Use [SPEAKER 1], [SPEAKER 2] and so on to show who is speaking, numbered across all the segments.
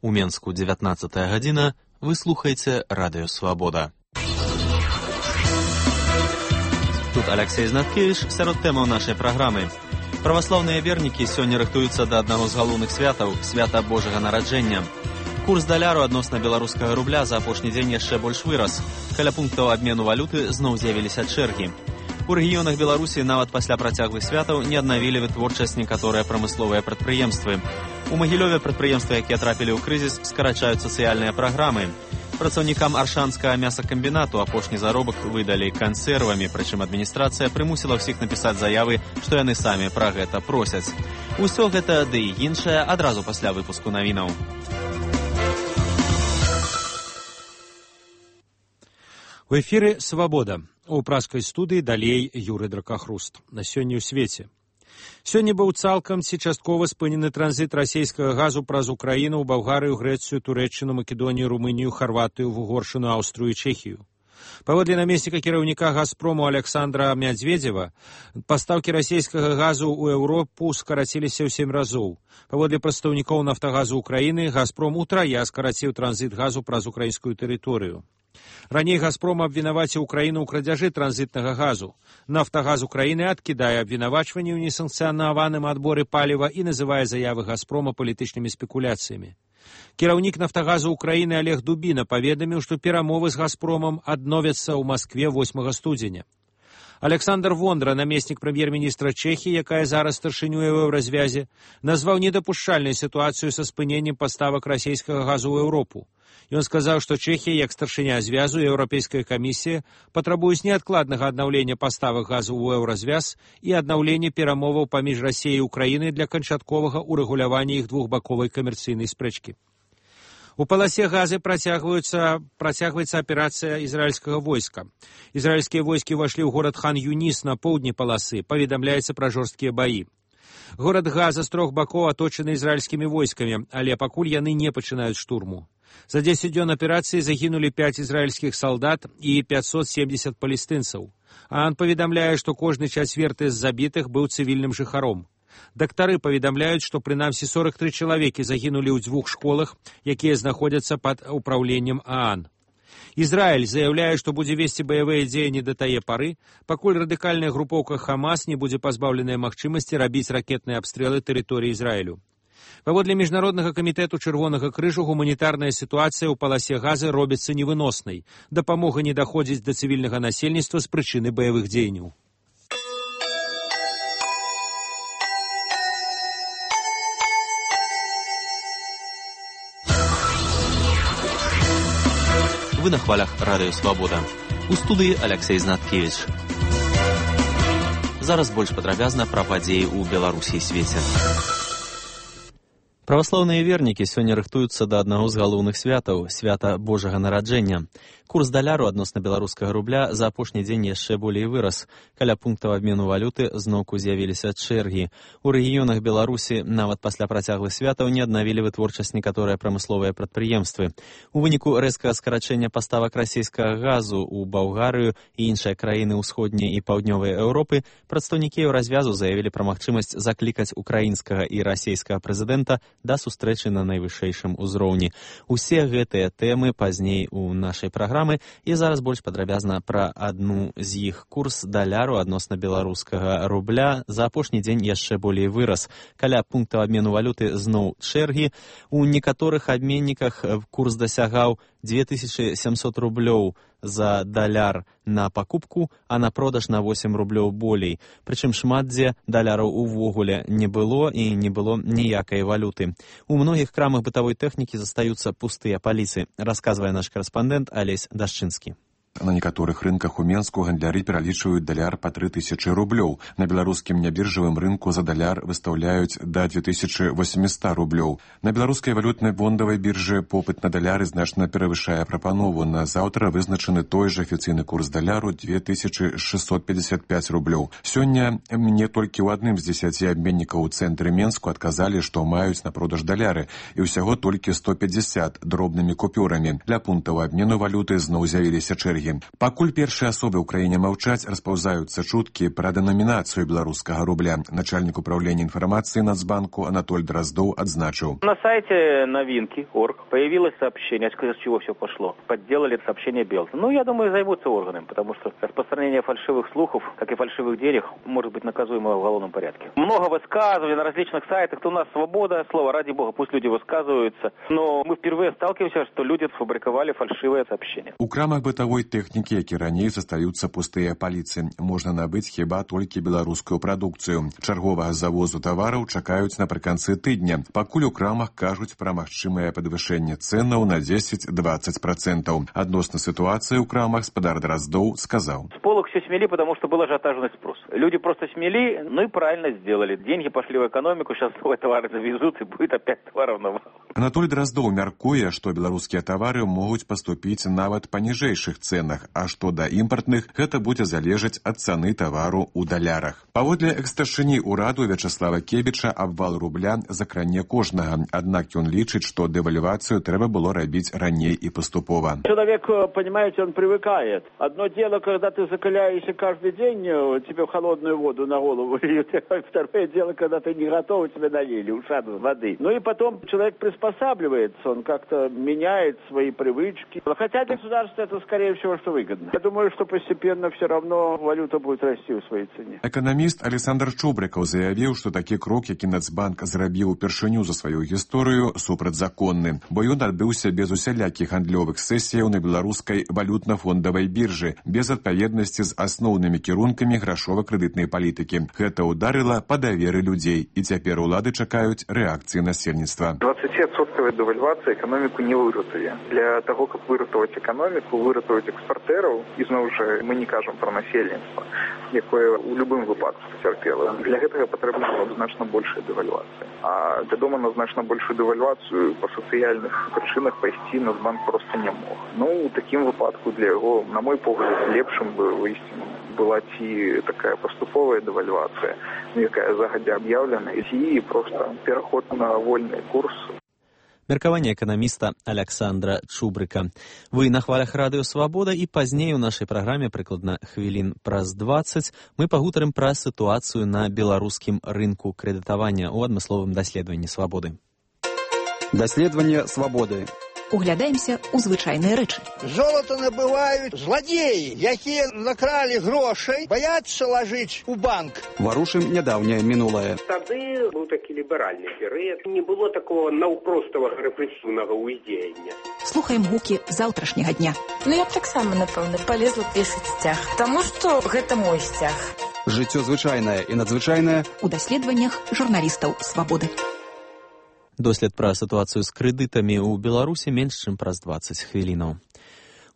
[SPEAKER 1] У Менску 19 гадзіна. Вы слухаеце Радыё Свабода. Тут Алексей Знаткевич сярод тэмаў нашай праграмы. Праваслаўныя вернікі сёння рыхтуюцца да аднаго з галоўных святаў – свята Божага нараджэння. Курс даляру адносна беларускага рубля за апошні дзень яшчэ больш вырас. Каля пунктаў абмену валюты зноў з'явіліся чэргі. У рэгіёнах Беларусі нават пасля працяглых святаў не аднавілі вытворчасць некаторыя прамысловыя прадпрыемствы. У Магілёве прадпрыемствы, якія трапілі ў крызіс, скарачаюць сацыяльныя праграмы. Працаўнікам аршанскага мясакамбінату апошні заробак выдалі кансервамі, прычым адміністрацыя прымусіла ўсіх напісаць заявы, што яны самі пра гэта просяць. Усё гэта ды і іншае адразу пасля выпуску навінаў.
[SPEAKER 2] У эфіры «Свабода». У праскай студыі далей Юрый Дракахруст. На сёння ў свеце. Сёння быў цалкам ці часткова спынены транзіт расійскага газу праз Украіну ў Балгарыю, Грэцыю, Турэччыну, Македонію, Румынію, Харватыю, Вугоршыну, Аўстрыю і Чэхію. Паводле намесніка кіраўніка «Газпрому» Александра Мядзведзева, пастаўкі расійскага газу ў Еўропу скараціліся ў 7 разоў. Паводле прадстаўнікоў «Нафтагазу» Украіны, «Газпром» утрая скараціў транзіт газу праз украінскую тэрыторыю. Раней «Газпром» абвінаваціў Украіну ў крадзяжы транзітнага газу. «Нафтагаз» Украіны адкідае абвінавачванні ў несанкцыянаваным адборы паліва і называе заявы «Газпрома» палітычнымі спекуляцыямі. Кіраўнік «Нафтагазу» Украіны Олег Дубіна паведаміў, што перамовы з «Газпромам» адновяцца ў Маскве 8 студзеня. Александр Вондра, намеснік прэм'ер-міністра Чэхіі, якая зараз старшынюе ў еўразвязе, назваў недапушчальнай сітуацыю са спыненнем паставак расійскага газу ў Еўропу. Ён сказаў, што Чэхія, як старшыня звязу, Еўрапейская камісія патрабуюць неадкладнага аднаўлення паставак газу ў еўразвяз і аднаўлення перамоваў паміж Расіяй і Украінай для канчатковага ўрэгулявання іх двухбаковай камерцыйнай спрэчкі. У паласе газы працягваецца аперацыя ізраільскага войска. Ізраільскія войскі ўвайшлі ў горад Хан-Юніс на поўдні паласы, паведамляецца пра жорсткія баі. Горад Газа з 3 бакоў аточаны ізраільскімі войскамі, але пакуль яны не пачынаюць штурму. За 10 дзён аперацыі загінулі 5 ізраільскіх салдат і 570 палестынцаў. ААН паведамляе, што кожны чацверты з забітых быў цывільным жыхаром. Дактары паведамляюць, што прынамсі 43 чалавекі загінулі ў 2 школах, якія знаходзяцца пад управленнем ААН. Ізраіль заяўляе, што будзе весці баявыя дзеянні да тае пары, пакуль радыкальная групоўка Хамас не будзе пазбаўленая магчымасці рабіць ракетныя абстрэлы тэрыторыі Ізраілю. Паводле Міжнароднага камітэту Чырвонага крыжу гуманітарная сітуацыя ў паласе газы робіцца невыноснай. Дапамога не даходзіць да цывільнага насельніцтва з прычыны баявых дзеянняў.
[SPEAKER 1] Вы на хвалях Радыё Свабода. У студыі Алексей Знаткевич. Зараз больш падрабязна пра падзеі ў Беларусі і свеце. Праваслаўныя вернікі сёння рыхтуюцца да аднаго з галоўных святаў – свята Божага нараджэння. Курс даляру адносна беларускага рубля за апошні дзень яшчэ болей вырас. Каля пунктаў абмену валюты зноўку з'явіліся чэргі. У рэгіёнах Беларусі нават пасля працяглых святаў не аднавілі вытворчасць некаторыя прамысловыя прадпрыемствы. У выніку рэзкага скарачэння паставак расійскага газу ў Балгарыю і іншыя краіны ўсходняй і паўднёвай Еўропы прадстаўнікі еўразвязу заявілі пра магчымасць заклікаць украінскага і расійскага прэзідэнта да сустрэчы на найвышэйшым узроўні. Усе гэтыя тэмы пазней у нашай праграмы і зараз больш падрабязна пра адну з іх. Курс даляру адносна беларускага рубля за апошні дзень яшчэ болей вырас. Каля пунктаў абмену валюты зноў чэргі. У некаторых абменніках курс дасягаў 2700 рублёў за даляр на пакупку, а на продаж на 8 рублёў болей. Прычым шмат дзе даляраў увогуле не было і не было ніякай валюты. У многіх крамах бытавой тэхнікі застаюцца пустыя паліцы, расказвае наш карэспандэнт Алесь Дашчынскі.
[SPEAKER 3] На некаторых рынках у Менску гандляры пералічваюць даляр па 3000 рублёў. На беларускім нябіржавым рынку за даляр выстаўляюць да 2800 рублёў. На беларускай валютнай фондавай біржы попыт на даляры значна перавышае прапанову. На заўтра вызначаны той жа афіцыйны курс даляру 2655 рублёў. Сёння мне толькі ў адным з 10 абменнікаў у цэнтры Менску адказалі, што маюць на продаж даляры, і ўсяго толькі 150 дробнымі купюрамі. Для пунктаў абмену валюты зноў з'явіліся чэргі энергі. Пакуль першыя асобы ў краіне маўчаць, распаўзаюцца чуткі пра дэнамінацыю беларускага рубля. Начальник управления информации Нацбанку Анатоль Дроздов отзначил.
[SPEAKER 4] На сайте новинки.орг появилось сообщение, с чего все пошло. Подделали сообщение Белта. Я думаю, займутся органами, потому что распространение фальшивых слухов, как и фальшивых денег, может быть наказуемо в уголовном порядке. Много высказываний на различных сайтах. У нас свобода слова, ради бога, пусть люди высказываются. Но мы впервые сталкиваемся, что люди сфабриковали фальшивые сообщения.
[SPEAKER 3] У крамах бытовой техники, які раней застаюцца пустыя паліцы, можна набыць хіба толькі беларускую прадукцыю. Чарговага завозу тавараў чакаюць напрыканцы тыдня. Пакуль у крамах кажуць пра магчымае падвышэнне цэнаў на 10-20%. Адносна сітуацыі ў крамах спадар Дроздов сказаў.
[SPEAKER 4] С полок все смели, потому что был ажиотажный спрос. Люди просто смели, и правильно сделали. Деньги пошли в экономику, сейчас новые товары завезут, и будет опять товаров навал.
[SPEAKER 3] Анатоль Дроздов мяркуе, што беларускія тавары могуць паступіць нават па ніжэйшых цэнах, а што да імпартных, гэта будзе залежаць ад цаны тавару ў далярах. Паводле экс-старшыні ўраду Вячаслава Кебіча абвал рубля закране кожнага, аднак ён лічыць, што дэвальвацыю трэба было рабіць раней і паступова.
[SPEAKER 5] Человек, понимаете, он привыкает. Одно дело, когда ты закаляешься каждый день, тебе в холодную воду на голову льют. Второе дело, когда ты не готов, тебе налили ушат воды. И потом человек приспосабливается, он как-то меняет свои привычки. Хотя для государства это, скорее всего, что выгодно. Я думаю, что постепенно все равно валюта будет расти в своей цене.
[SPEAKER 3] Эканаміст Александр Чубрыкаў заявіў, што такі крок, які Нацбанк зрабіў упершыню за сваю гісторыю, супрацьзаконны, бо ён адбыўся без усялякіх гандлёвых сесіяў на беларускай валютна-фондавай біржы, без адпаведнасці з асноўнымі кірункамі грашова-крэдытнай палітыкі. Гэта ударыла па даверы людзей, і цяпер улады чакаюць рэакцыі насельніцтва.
[SPEAKER 6] 20% девальвація экономіку не выратуе. Для того, каб выратаваць экономіку, выратаваць экспартераў, і зноў жа мы не кажам пра насельніцтва, якое ў любым выпадку пацярпела. Для гэтага патрэбна было б значна большая дэвальвацыя. А вядома, на значна большую дэвальвацыю па сацыяльных прычынах пайсці Нацбанк проста не мог. У такім выпадку для яго, на мой погляд, лепшым бы выйсці была ці такая паступовая дэвальвацыя, якая загадзя аб'яўлена, ці проста пераход на вольны курс.
[SPEAKER 1] Меркаванне эканаміста Александра Чубрыка. Вы на хвалях радыё «Свабода», і пазней у нашай праграме, прыкладна хвілін праз 20, мы пагутарым пра сітуацыю на беларускім рынку крэдытавання ў адмысловым даследаванні «Свабоды».
[SPEAKER 7] Даследаванне «Свабоды».
[SPEAKER 8] Углядаемся ў звычайныя рэчы.
[SPEAKER 9] Золото набываюць зладзеі, якія накралі грошай, баяцца лажыць у банк.
[SPEAKER 7] Варушым нядаўняе мінулае.
[SPEAKER 10] Тады быў такі ліберальны перыяд, не было такого наўпроставага рэпрэсіўнага ўздзеяння.
[SPEAKER 8] Слухаем гукі заўтрашняга дня.
[SPEAKER 11] Я б таксама, напэўна, палезла пешаць сцяг, таму што гэта мой сцяг.
[SPEAKER 7] Жыццё звычайнае і надзвычайнае
[SPEAKER 8] у даследаваннях журналістаў «Свабоды».
[SPEAKER 1] Дослед пра сітуацыю з крэдытамі ў Беларусі менш чым праз 20 хвілінаў.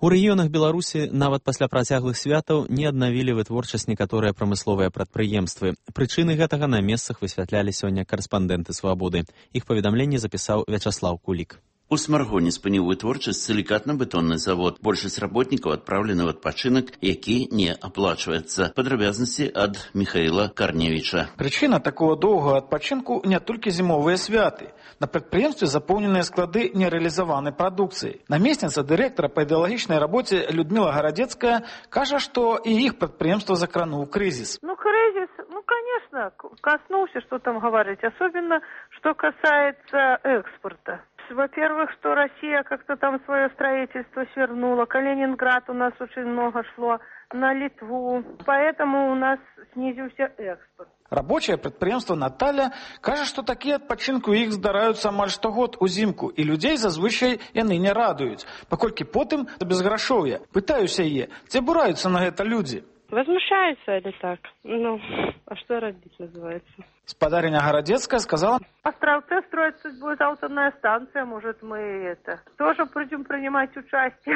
[SPEAKER 1] У рэгіёнах Беларусі нават пасля працяглых святаў не аднавілі вытворчасць некаторыя прамысловыя прадпрыемствы. Прычыны гэтага на месцах высвятлялі сёння карэспандэнты «Свабоды». Іх паведамленне запісаў Вячаслав Кулік.
[SPEAKER 12] У Смаргоне спыніў вытворчасць сілікатна-бетонны завод. Большасць работнікаў адпраўлены ў адпачынак, які не аплачваецца. Падрабязнасці ад Михаіла Карневіча.
[SPEAKER 13] Прычына такого доўгага адпачынку не толькі зімовыя святы. На прадпрыемстве запоўненыя склады нерэалізаванай прадукцыі. Намесніца дырэктара па ідэалагічнай рабоце Людмила Гарадзецкая кажа, што і іх прадпрыемства закрануў крызіс.
[SPEAKER 14] Кризис, конечно, коснулся, что там говорить. Особенно, что касается экспорта. Во-первых, что Россия как-то там свое строительство свернула. Калининград у нас очень много шло, на Литву. Поэтому у нас снизился экспорт.
[SPEAKER 13] Рабочае прадпрыемства Наталя кажа, што такія адпачынку іх здараюцца амаль штогод узімку, і людзей зазвычай яны не радуюць, паколькі потым безграшоўе. Пытаюся яе, ці абураюцца на гэта людзі?
[SPEAKER 14] Возмущаются или так? А что родить называется?
[SPEAKER 13] Спадарыня Гарадзецкая сказала:
[SPEAKER 14] Островце строится будет атомная станция, может мы тоже будем принимать участие.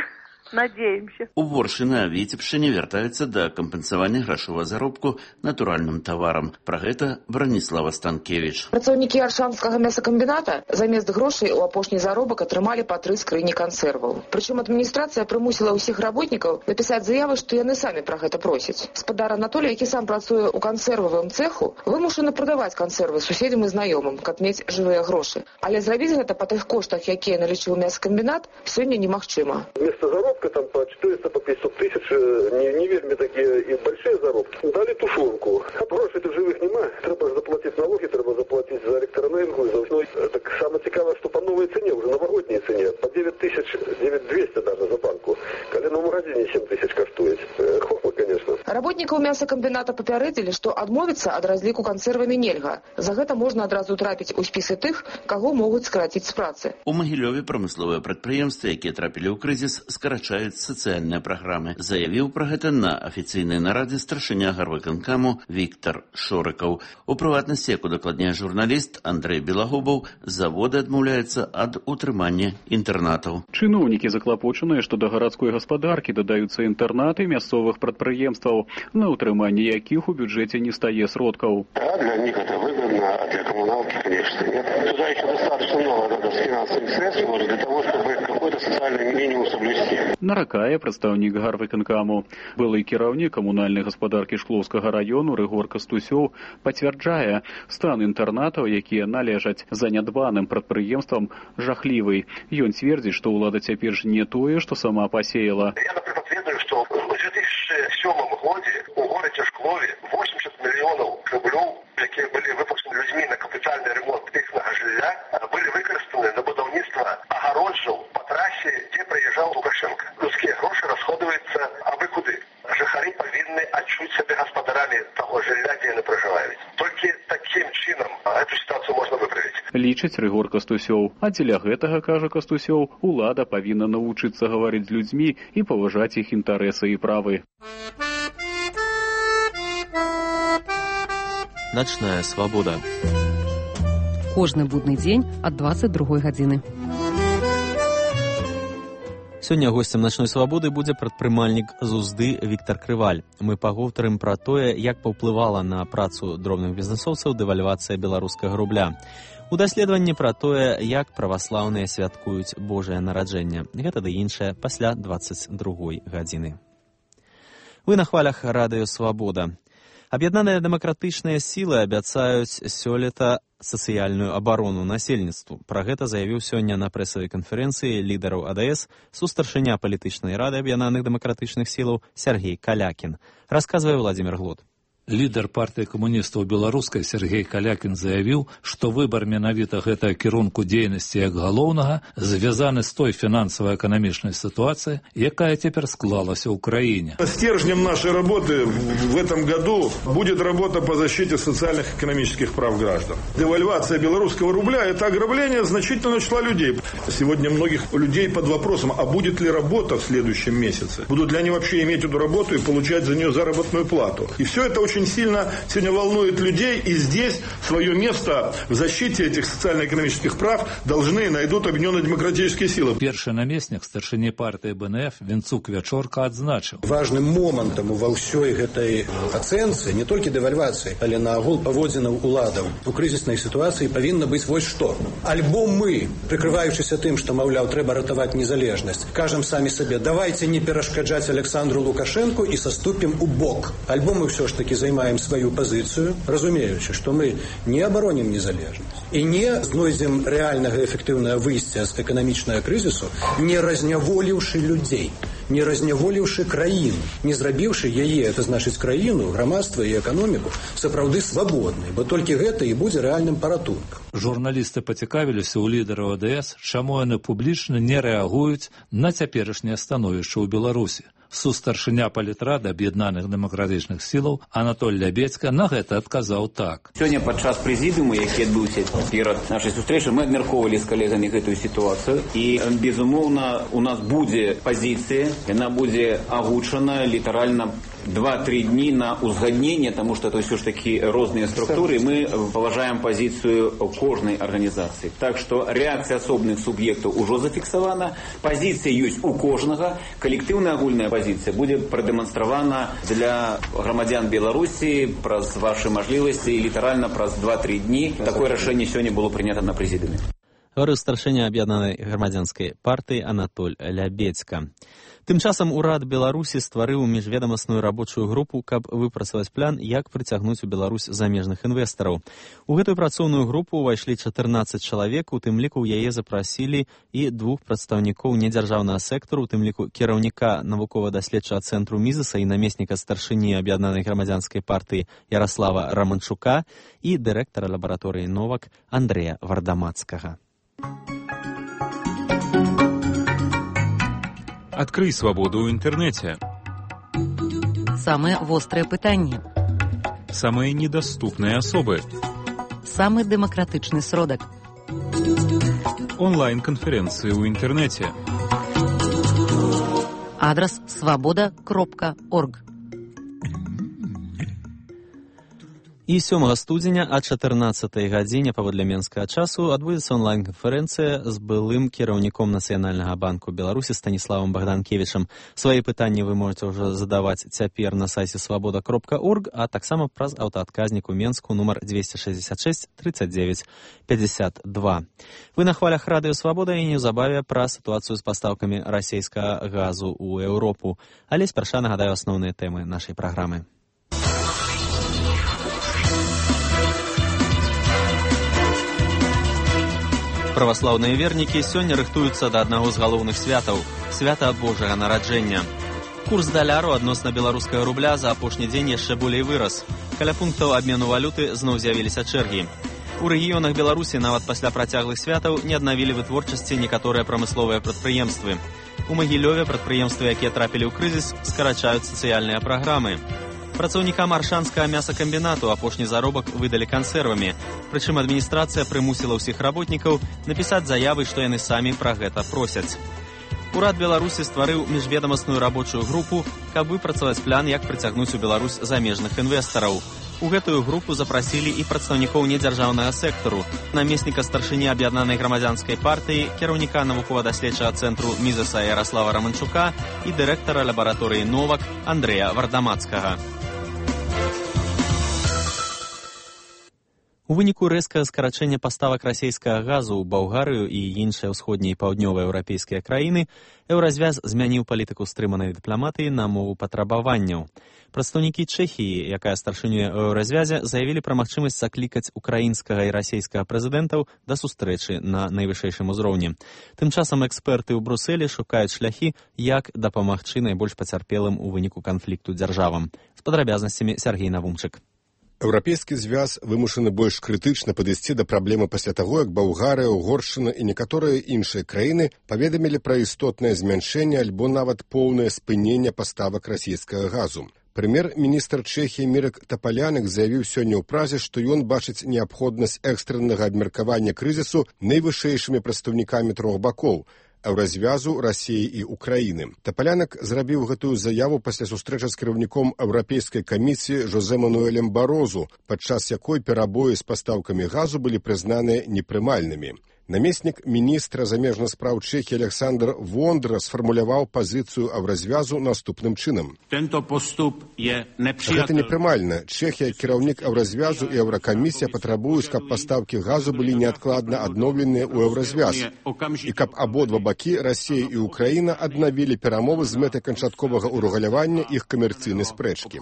[SPEAKER 14] Надеемся.
[SPEAKER 12] У Воршы на Віцебшчыне вяртаюцца да кампенсавання грашовага заробку натуральным таварам. Пра гэта Браніслава Станкевіч.
[SPEAKER 15] Працаўнікі Аршанскага мясакамбіната замест грошай у апошні заробак атрымалі па 3 скрыні кансерваў. Прычым адміністрацыя прымусіла ўсіх работнікаў напісаць заявы, што яны самі пра гэта просяць. Спадар Анатолій, які сам працуе ў кансервавым цэху, вымушаны прадаваць кансервы суседзям і знаёмым, каб мець жывыя грошы. Але зрабіць гэта па тых коштах, якія налічыў мясакамбінат, сёння немагчыма.
[SPEAKER 16] заробка там по 400, по 500 тысяч, не вельми такие и большие заробки. Дали тушенку. А грошей тут живых нема. Треба заплатить налоги, треба заплатить за электроэнергию. Ну, так самое цікавое, что по новой цене, уже новогодней цене, по 9 тысяч, 9200 даже за банку. Коли в магазине 7 тысяч коштует. Хохма, конечно.
[SPEAKER 15] Работникаў мясакамбіната папярэдзілі, што адмовіцца ад разліку кансервамі нельга. За гэта можна адразу трапіць у спісы тых, каго могуць скараціць з працы.
[SPEAKER 12] У Магілёве прамысловыя прадпрыемствы, якія трапілі ў крызіс, скарачаюць сацыяльныя праграмы. Заявіў пра гэта на афіцыйнай нарадзе старшыня гарвыканкаму Віктор Шорыкаў. У прыватнасці, як удакладняе журналіст Андрэй Белагубаў, заводы адмаўляюцца ад утрымання інтэрнатаў.
[SPEAKER 17] Чыноўнікі заклапочаныя, што да гарадской гаспадаркі дадаюцца інтэрнаты мясцовых прадпрыемстваў, на утрыманне якіх у бюджэце не стае сродкаў.
[SPEAKER 18] Да, для них это выгодно, а для коммуналки, конечно, нет. Туда еще достаточно много надо с финансовых средств для того, чтобы какой-то социальный минимум соблюсти.
[SPEAKER 17] Наракае прадстаўнік гарвыканкаму. Былы кіраўнік камунальнай гаспадаркі Шклоўскага раёну Рыгор Кастусёў пацвярджае, стан інтэрнатаў, якія належаць занядбаным прадпрыемствам, жахлівы. Ён цвердзіць, што ўлада цяпер ж не тое, што сама пасеяла.
[SPEAKER 18] Я, например, ведаю, что в 2007 году у городе Шклове 80 миллионов рублей, которые были выпущены людьми на капитальный ремонт их жилья, были выкористаны на будовництво огороджів по трассе, где проезжал Лукашенко. Людские гроши расходуются абы куды. Жихари повинны отчуть себе господарами того жилья, где они проживают. Только таким чином эту ситуацию можно выправить.
[SPEAKER 17] Лічыць Рыгор Кастусёў. А дзеля гэтага, кажа Кастусёў, улада павінна навучыцца гаварыць з людзьмі і паважаць іх інтарэсы і правы.
[SPEAKER 1] Начная свабода.
[SPEAKER 19] Кожны будны дзень ад 22 гадзіны.
[SPEAKER 1] Сёння госцем начной свабоды будзе прадпрымальнік з Узды Віктор Крываль. Мы пагутарым пра тое, як паўплывала на працу дробных бізнесоўцаў дэвальвацыя беларускага рубля. У даследаванні пра тое, як праваслаўныя святкуюць Божае нараджэнне. Гэта ды іншае пасля 22 гадзіны. Вы на хвалях радыё Свабода. Аб'яднаныя дэмакратычныя сілы абяцаюць сёлета сацыяльную абарону насельніцтву. Пра гэта заявіў сёння на прэсавай канферэнцыі лідараў АДС сустаршыня палітычнай рады аб'яднаных дэмакратычных сілаў Сергей Калякін. Расказвае Владимир Глод.
[SPEAKER 20] Лідар партыі камуністаў беларускай Сергей Калякін заявіў, што выбар менавіта гэтага кірунку дзейнасці як галоўнага звязаны з той фінансава-эканамічнай сітуацыяй, якая цяпер склалася ў краіне.
[SPEAKER 21] Стержнем нашей работы в этом году будет работа по защите социальных и экономических прав граждан. Девальвация белорусского рубля – это ограбление значительного числа людей. Сегодня многих людей под вопросом, а будет ли работа в следующем месяце? Будут ли они вообще иметь эту работу и получать за нее заработную плату? И все это очень сильно сегодня волнует людей, и здесь свое место в защите этих социально-экономических прав должны и найдут объединенные демократические силы.
[SPEAKER 20] Першы намеснік старшыні партыі БНФ Вінцук Вячорка адзначыў.
[SPEAKER 22] Важным момантам ва ўсёй гэтай ацэнцы не толькі дэвальвацыі, але наогул паводзінаў уладаў у крызіснай сітуацыі павінна быць вось што. Альбо мы, прыкрываючыся тым, што, маўляў, трэба ратаваць незалежнасць, кажам самі сабе, давайте не перашкаджаць Александру Лукашенку і саступім у бок. Альбо мы ўсё ж такі займаем свою позицию, разумеючи, что мы не обороним незалежность и не знойдем реального эффективного выйсця з эканамічнага крызісу, не разняволіўшы людей, не разняволіўшы краіну, не зрабіўшы яе, это значыць краіну, грамадства і эканоміку сапраўды свабоднай, бо толькі гэта і будзе рэальным паратункам.
[SPEAKER 20] Журналісты пацікавіліся ў лідараў АДС, чаму яны публічна не рэагуюць на цяперашняе становішча ў Беларусі. Сустаршыня палітрады аб'яднаных дэмакратычных сілаў Анатоль Лябецька на гэта адказаў так.
[SPEAKER 23] Сёння падчас прэзідыума, які адбыўся перад нашай сустрэчай, мы абмяркоўвалі з калегамі гэтую сітуацыю і, безумоўна, у нас будзе пазіцыя, яна будзе агучана літаральна 2-3 дні на узгадненне, тому что это все ж таки розныя структуры, мы паважаем пазіцыю кожнай арганізацыі. Так что реакцыя асобных суб'ектаў ужо зафіксавана, пазіцыя ёсць у кожнага, калектыўная агульная пазіцыя будзе прадэманстравана для грамадзян Беларусі праз вашы мажлівасці і літаральна праз 2-3 дні. Такое рашэнне сёння было прынята на прэзідыуме.
[SPEAKER 1] гаварыў старшыня аб'яднанай грамадзянскай партыі Анатоль Лябедзька. Тым часам урад Беларусі стварыў міжведамасную рабочую групу, каб выпрацаваць план, як прыцягнуць у Беларусь замежных інвестараў. У гэтую працоўную групу ўвайшлі 14 чалавек, у тым ліку ў яе запрасілі і 2 прадстаўнікоў недзяржаўнага сектару, у тым ліку кіраўніка навукова-даследчага цэнтру Мізеса і намесніка старшыні аб'яднанай грамадзянскай партыі Яраслава Раманчука і дырэктара лабараторыі Новак Андрэя Вардамацкага.
[SPEAKER 2] Открый свободу ў інтэрнэце.
[SPEAKER 19] Самые вострые пытанні.
[SPEAKER 2] Самые недоступные особы.
[SPEAKER 19] Самый демократичный сродок.
[SPEAKER 2] Онлайн-конференции ў інтэрнэце.
[SPEAKER 19] Адрес свобода.орг.
[SPEAKER 1] І 7 студзеня а 14 гадзіне паводле менскага часу адбудзецца онлайн-канферэнцыя з былым кіраўніком Нацыянальнага банку Беларусі Станіславам Богданкевічам. Свае пытанні вы можете ўжо задаваць цяпер на сайце свобода.орг, а таксама праз аўтаадказнік у Менску нумар 266 39 52. Вы на хвалях радыё Свабода і неўзабаве пра сітуацыю з пастаўкамі расійскага газу ў Еўропу. Але спярша нагадаю асноўныя тэмы нашай праграмы. Праваслаўныя вернікі сёння рыхтуюцца да аднаго з галоўных святаў – свята Божага нараджэння. Курс даляру адносна беларускага рубля за апошні дзень яшчэ болей вырас. Каля пунктаў абмену валюты зноў з'явіліся чэргі. У рэгіёнах Беларусі нават пасля працяглых святаў не аднавілі вытворчасці некаторыя прамысловыя прадпрыемствы. У Магілёве прадпрыемствы, якія трапілі ў крызіс, скарачаюць сацыяльныя праграмы. Працаўнікам аршанскага мясакамбінату апошні заробак выдалі кансервамі. Прычым адміністрацыя прымусіла ўсіх работнікаў напісаць заявы, што яны самі пра гэта просяць. Урад Беларусі стварыў міжведамасную рабочую групу, каб выпрацаваць план, як прыцягнуць у Беларусь замежных інвестараў. У гэтую групу запрасілі і прадстаўнікоў недзяржаўнага сектару, намесніка старшыні аб'яднанай грамадзянскай партыі, кіраўніка навукова-даследчага цэнтру Мізеса Яраслава Раманчука і дырэктара лабараторыі Новак Андрэя Вардамацкага. У выніку рэзкага скарачэння паставак расійскага газу ў Балгарыю і іншыя ўсходнія і паўднёваеўрапейскія краіны, Еўразвяз змяніў палітыку стрыманай дыпламатыі на мову патрабаванняў. Прадстаўнікі Чэхіі, якая старшынюе ў Еўразвязе, заявілі пра магчымасць заклікаць украінскага і расійскага прэзідэнтаў да сустрэчы на найвышэйшым узроўні. Тым часам эксперты ў Брусэлі шукаюць шляхі, як дапамагчы найбольш пацярпелым у выніку канфлікту дзяржавам. З падрабязнасцямі Сергей Навумчык.
[SPEAKER 4] Еўрапейскі звяз вымушаны больш крытычна падысці да праблемы пасля таго, як Балгарыя, Угоршчына і некаторыя іншыя краіны паведамілі пра істотнае змяншэнне альбо нават поўнае спыненне паставак расійскага газу. Прэм'ер-міністр Чэхіі Мірак Тапалянык заявіў сёння ў празе, што ён бачыць неабходнасць экстраннага абмеркавання крызісу найвышэйшымі прадстаўнікамі трох бакоў – Еўразвязу, Расіі і Украіны. Тапалянык зрабіў гэтую заяву пасля сустрэчы з кіраўніком Еўрапейскай камісіі Жозе Мануэлем Барозу, падчас якой перабоі з пастаўкамі газу былі прызнаныя непрымальнымі. Намеснік міністра замежных спраў Чэхіі Александр Вондра сфармуляваў пазіцыю Еўразвязу наступным чынам. Гэта непрымальна. Чэхія, кіраўнік Еўразвязу і Еўракамісія патрабуюць, каб пастаўкі газу былі неадкладна адноўленыя ў Еўразвяз і каб абодва бакі, Расія і Украіна, аднавілі перамовы з мэтай канчатковага ўрэгулявання іх камерцыйнай спрэчкі.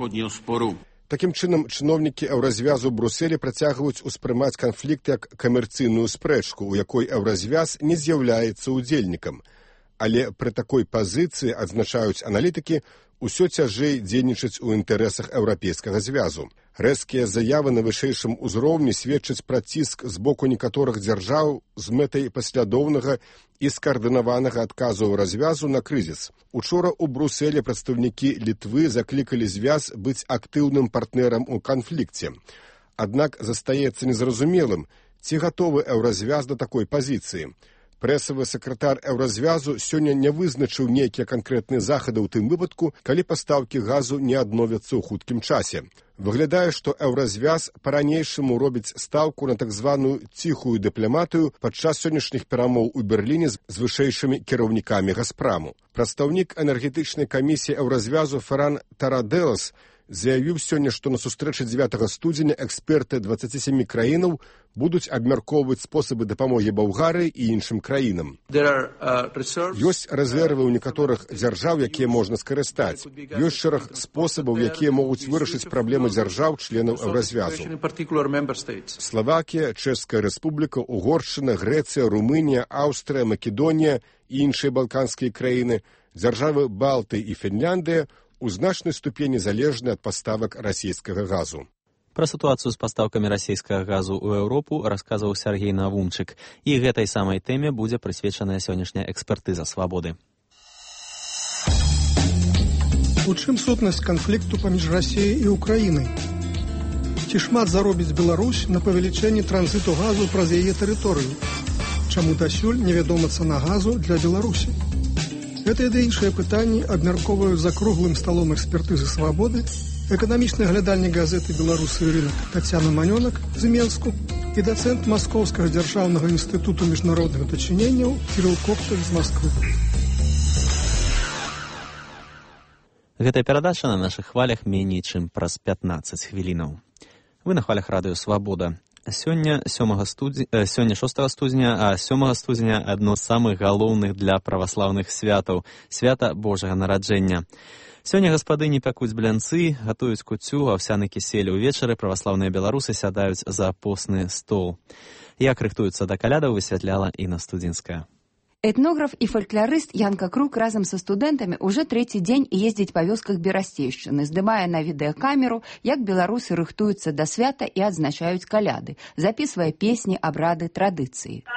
[SPEAKER 4] Такім чынам, чыноўнікі Еўразвязу ў Брусэлі працягваюць успрымаць канфлікт як камерцыйную спрэчку, у якой Еўразвяз не з'яўляецца ўдзельнікам. Але пры такой пазіцыі, адзначаюць аналітыкі, усё цяжэй дзейнічаць у інтарэсах Еўрапейскага звязу. Рэзкія заявы на вышэйшым узроўні сведчаць пра ціск з боку некаторых дзяржаў з мэтай паслядоўнага і скаардынаванага адказу развязу на крызіс. Учора ў Брусэлі прадстаўнікі Літвы заклікалі звяз быць актыўным партнерам у канфлікце. Аднак застаецца незразумелым, ці гатовы Еўразвяз да такой пазіцыі. Прэсавы сакратар Еўразвязу сёння не вызначыў нейкія канкрэтныя захады ў тым выпадку, калі пастаўкі газу не адновяцца ў хуткім часе. Выглядае, што Еўразвяз па-ранейшаму робіць стаўку на так званую ціхую дыпламатыю падчас сённяшніх перамоў у Берліне з вышэйшымі кіраўнікамі Газпраму. Прадстаўнік энергетычнай камісіі Еўразвязу Ферран Тараделас заявіў сёння, што на сустрэчы 9 студзеня эксперты 27 краінаў будуць абмяркоўваць спосабы дапамогі Балгарыі і іншым краінам. Ёсць рэзервы ў некаторых дзяржаў, якія можна скарыстаць. Ёсць шэраг спосабаў, якія могуць вырашыць праблемы дзяржаў, членаў Еўразвязу. Славакія, Чэшская рэспубліка, Угоршчына, Грэцыя, Румынія, Аўстрыя, Македонія і іншыя балканскія краіны, дзяржавы Балты і Фінляндыя у значнай ступені залежны ад паставак расійскага газу.
[SPEAKER 1] Пра сітуацыю з пастаўкамі расійскага газу ў Еўропу расказваў Сяргей Навумчык. І гэтай самай тэме будзе прысвечаная сённяшняя экспертыза «Свабоды».
[SPEAKER 3] У чым сутнасць канфлікту паміж Расіяй і Украінай? Ці шмат заробіць Беларусь на павелічэнні транзіту газу праз яе тэрыторыю? Чаму дасюль невядома цана газу для Беларусі? Гэтыя ды іншыя пытанні абмяркоўваюць за круглым сталом экспертызы «Свабоды» эканамічны глядальнік газеты «Беларусы і рынок» Тацяна Манёнак з Менску і дацэнт Маскоўскага дзяржаўнага інстытуту міжнародных дачыненняў Кірыл Копталь з Масквы.
[SPEAKER 1] Гэтая перадача на нашых хвалях меней, чым праз 15 хвілінаў. Вы на хвалях радыё «Свабода». Сёння 6 студзеня, а 7 студзеня адно з самых галоўных для праваслаўных святаў – свята Божага нараджэння. Сёння гаспадыні пякуць блянцы, гатуюць куццю, аўсяны кісель. Увечары праваслаўныя беларусы сядаюць за посны стол. Як рыхтуюцца да калядаў, высвятляла Інна Студзінская.
[SPEAKER 5] Этнограф і фалькларыст Янка Крук разам са студэнтамі ўжо трэці дзень ездзіць па вёсках Берасцейшчыны, здымае на відэакамеру, як беларусы рыхтуюцца да свята і адзначаюць каляды, запісвае песні, абрады, традыцыі.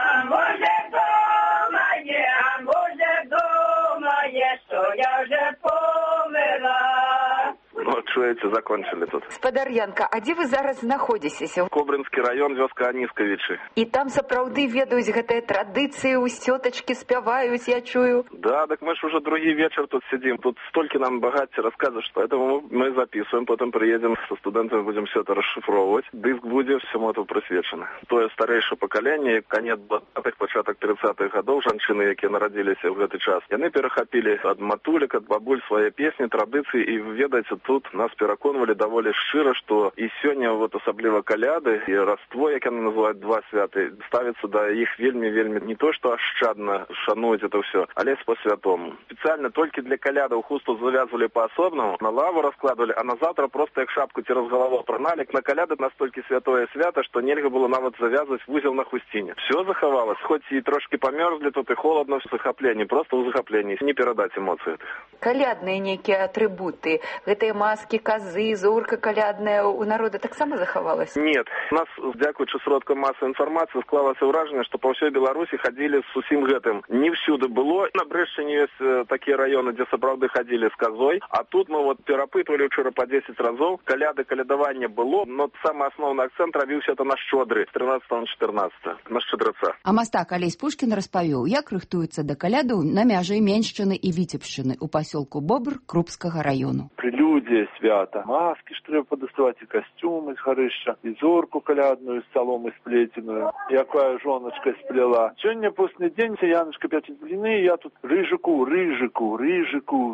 [SPEAKER 6] Вот, чуеце, закончили тут.
[SPEAKER 5] Спадар Янка, а дзе вы зараз знаходзіцеся?
[SPEAKER 6] Кобрынскі раён, вёска Анискавічы.
[SPEAKER 5] І там сапраўды ведаюць гэтыя традыцыі, у сётачкі спяваюць, я чую.
[SPEAKER 6] Да, так мы ж уже другі вечер тут сидим. Тут столькі нам багацця рассказывают, что поэтому мы записываем, потом приедем со студентами, будем все это расшифровывать. Диск будет всему этому присвечено. Тое старэйшае пакаленне, конец 20-х, пачатак 30-х гадоў, жанчыны, якія нарадзіліся ў гэты час, яны перахапілі ад матулек, ад бабуль свае песні, традыцыі, і ведаеце, тут нас пераконвалі даволі шчыра, што і сёння вот асабліва каляды і раство, як яны называюць два святы, ставіцца да іх вельмі не то што ашчадна шануюць это ўсё, але по-святому. Спецыяльна толькі для калядаў хусту завязвалі па-асобнаму, на лаву раскладвалі, а на заўтра просто як шапку цераз галаву праналі. На каляды настолькі святое свята, што нельга было нават завязваць вузел на хусціне. Все захавалось, хоць і трошки памёрзлі тут і холодно в захапленні, просто ў захапленні, не перадаць эмоцыі.
[SPEAKER 5] Калядныя нейкія атрыбуты, гэтыя маски, козы, зорка калядная у народа таксама захавалась?
[SPEAKER 6] Нет. У нас, дзякуючы сродкам масавай інфармацыі, склалася ўражанне, што па ўсёй Беларусі хадзілі з усім гэтым. Не всюды было. На Брэшчыне ёсць такія раёны, дзе сапраўды хадзілі з козой, а тут мы вот перапытвалі ўчора па 10 разоў. Каляды, калядаванне было, но самы асноўны акцэнт рабіўся это на шчодры, з 13 на 14, на шчадраца.
[SPEAKER 5] А мастак Алесь Пушкін распавёў, як рыхтуецца да калядаў на мяжы Меншчыны і Віцебшчыны ў пасёлку Бобр Крупскага раёну.
[SPEAKER 24] Прелюдия свята. Маски, что треба подоставать, и костюмы из горища, и зорку колядную, с соломы сплетенную, якая жоночка сплела. Сегодня после день Яночка пятит блины, я тут рыжику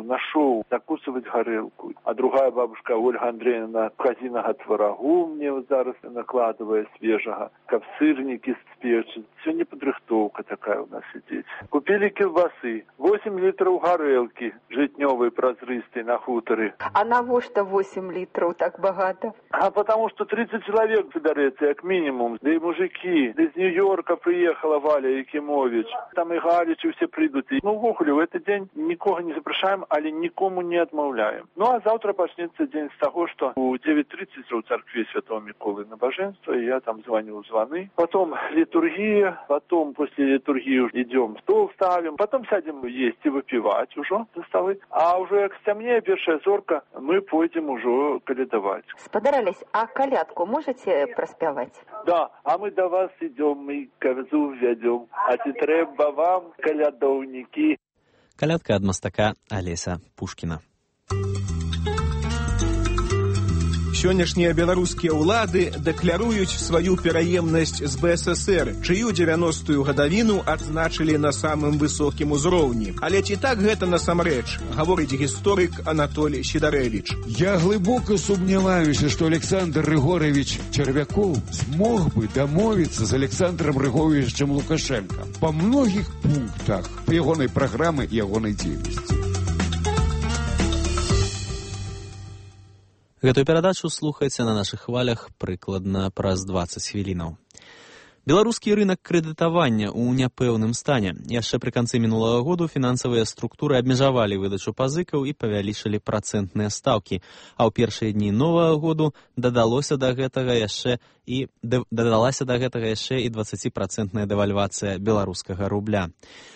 [SPEAKER 24] нашел закусывать горелку. А другая бабушка Ольга Андреевна казиного творогу мне вот зараз накладывая свежего, как сырники спечет. Сегодня подрыхтовка такая у нас сидит. Купили колбасы, 8 литров горелки, житневой прозрыстой на хуторе.
[SPEAKER 5] А навошта 8 литров так багато?
[SPEAKER 24] А потому что 30 человек соберется, как минимум. Да и мужики. Из Нью-Йорка приехала Валя Якимович. Там и Галичи все придут. Ну, в Охуле, в этот день никого не запрашаем, але никому не отмовляем. Ну, а завтра начнется день с того, что у 9:30 у церкви Святого Миколы набоженство, и я там звоню звоны. Потом литургия, потом после литургии идем стол ставим, потом сядем есть и выпивать уже за столы. А уже к стемне, первая зорка, мы пойдем уже калядовать.
[SPEAKER 5] Спадар Алесь, а калядку можете проспевать?
[SPEAKER 24] Да, а мы до вас идем, мы козу ведем, а те треба вам, калядовники.
[SPEAKER 1] Калядка ад мастака Алеся Пушкіна.
[SPEAKER 7] Сённяшнія беларускія ўлады дэкляруюць сваю пераемнасць з БССР, чыю 90-ю гадавіну адзначылі на самым высокім узроўні. Але ці так гэта насамрэч, гаворыць гісторык Анатолій Сідарэвіч.
[SPEAKER 9] Я глыбока сумняваюся, што Александр Рыгорович Червяков смог бы дамовіцца з Александром Рыгоровичем Лукашенко па многіх пунктах ягонай праграмы і ягонай дзейнасці.
[SPEAKER 1] Гэтую перадачу слухайце на нашых хвалях прыкладна праз 20 хвілінаў. Беларускі рынок крэдытавання ў няпэўным стане. Яшчэ пры канцы мінулага году фінансавыя структуры абмежавалі выдачу пазыкаў і павялічылі працэнтныя стаўкі, а ў першыя дні новага году дадалася да гэтага яшчэ і 20% дэвальвацыя беларускага рубля.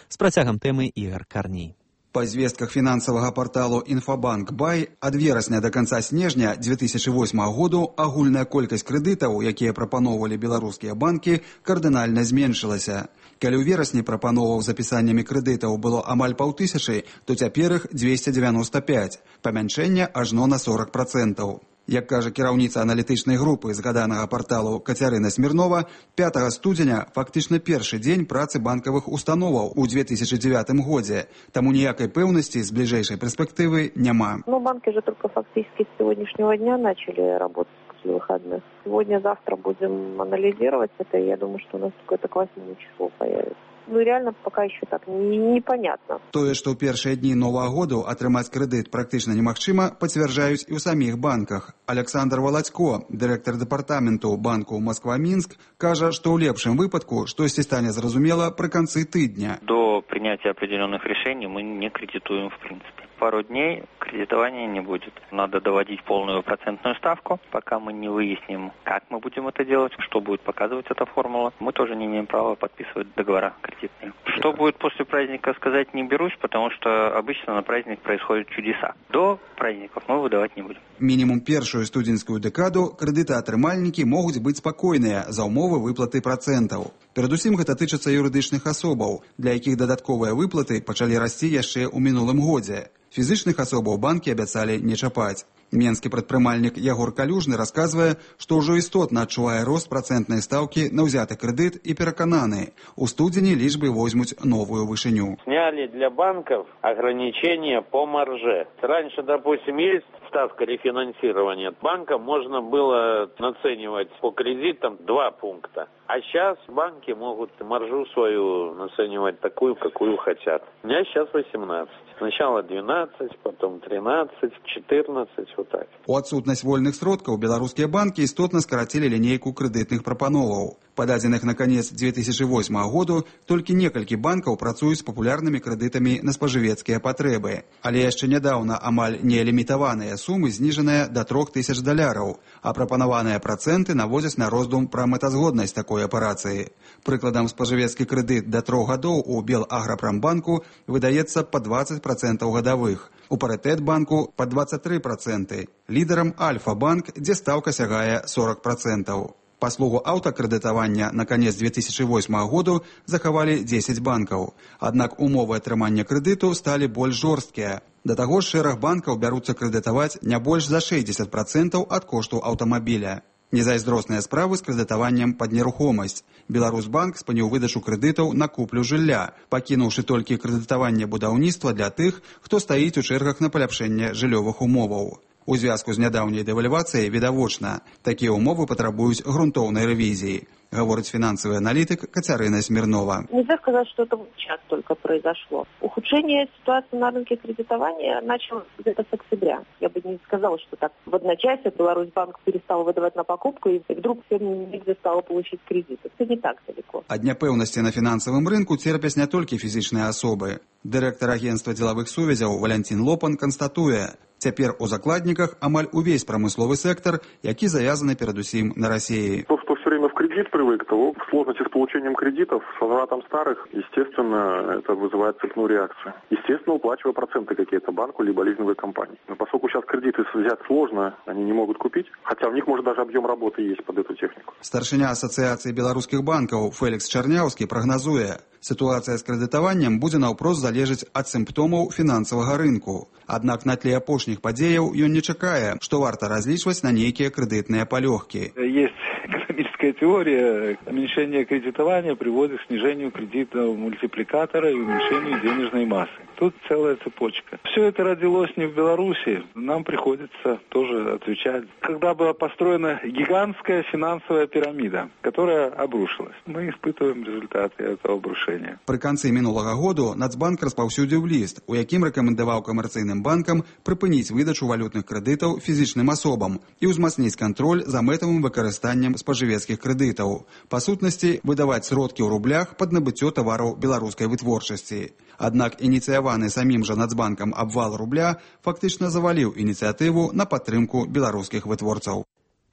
[SPEAKER 1] З працягам тэмы Ігор Карней.
[SPEAKER 10] Па звестках фінансавага парталу «Інфабанк Бай» ад верасня да канца снежня 2008 году агульная колькасць крэдытаў, якія прапаноўвалі беларускія банкі, кардынальна зменшылася. Калі ў верасні прапановаў з запісаннямі крэдытаў было амаль 5000, то цяпер іх 295, памяншэнне ажно на 40%. Як кажа кіраўніца аналітычнай групы згаданага парталу Кацярына Смірнова, 5 студзеня фактычна першы дзень працы банкавых установаў у 2009 годзе, таму ніякай пэўнасці з бліжэйшай перспектывы няма.
[SPEAKER 11] Банки же только фактически с сегодняшнего дня начали работать после выходных. Сегодня-завтра будем анализировать это, и я думаю, что у нас какое-то к 8 числу появится. Реально пока еще так непонятно.
[SPEAKER 10] Тое, што ў першыя дні новага году атрымаць крэдыт практычна немагчыма, пацвярджаюць і ў саміх банках. Александр Володько, дырэктар дэпартаменту банку Москва-Минск, кажа, што ў лепшым выпадку штосьці стане зразумела пры канцы тыдня.
[SPEAKER 25] До принятия определенных решений мы не кредитуем в принципе. Пару дней кредитования не будет. Надо доводить полную процентную ставку, пока мы не выясним, как мы будем это делать, что будет показывать эта формула. Мы тоже не имеем права подписывать договора кредитные. Что будет после праздника, сказать не берусь, потому что обычно на праздник происходят чудеса. До праздников мы выдавать не будем.
[SPEAKER 10] Мінімум першую студзеньскую дэкаду крэдытаатрымальнікі могуць быць спакойныя за ўмовы выплаты працэнтаў. Перадусім гэта тычыцца юрыдычных асобаў, для якіх дадатковыя выплаты пачалі расці яшчэ ў мінулым годзе. Фізычных асобаў банкі абяцалі не чапаць. Менскі прадпрымальнік Ягор Калюжны расказвае, што ўжо істотна адчувае рост працэнтнай стаўкі на ўзяты крэдыт і перакананы. У студзені лічбы возьмуць новую вышыню.
[SPEAKER 26] Сняли для банков ограничения по марже. Раньше, допустим, есть ставка рефинансирования. Банкам можно было наценивать по кредитам 2 пункта. А сейчас банки могут маржу свою наценивать такую, какую хотят. У меня сейчас 18. Сначала 12, потом 13, 14, вот так.
[SPEAKER 10] У адсутнасць вольных сродкаў беларускія банкі істотна скарацілі лінейку крэдытных прапановаў. Па дадзеных на канец 2008 году толькі некалькі банкаў працуюць з папулярнымі крэдытамі на спажывецкія патрэбы. Але яшчэ нядаўна амаль нелімітаваныя сумы зніжаныя да $3000, а прапанаваныя працэнты наводзяць на роздум пра мэтазгоднасць такой аперацыі. Прыкладам, спажывецкі крэдыт да 3 гадоў у Белаграпрамбанку выдаецца па 20% гадавых, у Паритетбанку па 23%, лідарам Альфа-банк, дзе стаўка сягае 40%. Паслугу аўтакрэдытавання на канец 2008 году захавалі 10 банкаў. Аднак умовы атрымання крэдыту сталі больш жорсткія. Да таго ж шэраг банкаў бяруцца крэдытаваць не больш за 60% ад кошту аўтамабіля. Незайздросныя справы з крэдытаваннем пад нерухомасць. Беларусбанк спыніў выдачу крэдытаў на куплю жылля, пакінуўшы толькі крэдытаванне будаўніцтва для тых, хто стаіць у чэргах на паляпшэнне жыллёвых умоваў. У звязку з нядаўняй дэвальвацыяй відавочна, такія ўмовы патрабуюць грунтоўнай рэвізіі, гаворыць фінансавы аналітык Кацярына Смирнова.
[SPEAKER 11] Нельзя сказать, что это сейчас только произошло. Ухудшение ситуации на рынке кредитования началось где-то с октября. Я бы не сказала, что так в одночасье Беларусьбанк перестал выдавать на покупку, и вдруг всем негде стало получить кредиты. Это не так далеко.
[SPEAKER 10] Ад няпэўнасці на фінансавым рынку церпяць не толькі фізічныя асобы. Дырэктар агенцтва дзелавых сувязяў Валянцін Лопан канстатуе, цяпер у закладніках амаль увесь прамысловы сектор, які завязаны перадусім на Расіі.
[SPEAKER 24] То, что
[SPEAKER 6] все время в кредит привык, то сложности с получением кредитов, с возвратом старых, естественно, это вызывает цепную реакцию. Естественно, уплачивая проценты какие-то банку либо лизинговой компании. Но поскольку сейчас кредиты взять сложно, они не могут купить, хотя у них, может, даже объем работы есть под эту технику.
[SPEAKER 10] Старшыня Асацыяцыі беларускіх банкаў Фэлікс Чарняўскі прагназуе, сітуацыя з крэдытаваннем будзе наўпрост залежыць ад сімптомаў фінансавага рынку. Аднак на тле апошніх падзеяў ён не чакае, што варта разлічваць на нейкія крэдытныя палёгкі.
[SPEAKER 8] Есть экономическая теория. Уменьшение кредитования приводит к снижению кредитного мультипликатора и уменьшению денежной массы. Тут целая цепочка. Все это родилось не в Беларуси. Нам приходится тоже отвечать. Когда была построена гигантская финансовая пирамида, которая обрушилась. Мы испытываем результаты этого обрушения.
[SPEAKER 10] Пры канцы мінулага году Нацбанк распаўсюдзіў ліст, у якім рэкамендаваў камерцыйным банкам прыпыніць выдачу валютных крэдытаў фізічным асобам і ўзмацніць кантроль за мэтавым выкарыстаннем спажывецкіх крэдытаў. Па сутнасці, выдаваць сродкі ў рублях пад набыццё тавараў беларускай вытворчасці. Аднак ініцыяваны самім жа Нацбанкам абвал рубля фактычна заваліў ініцыятыву на падтрымку беларускіх вытворцаў.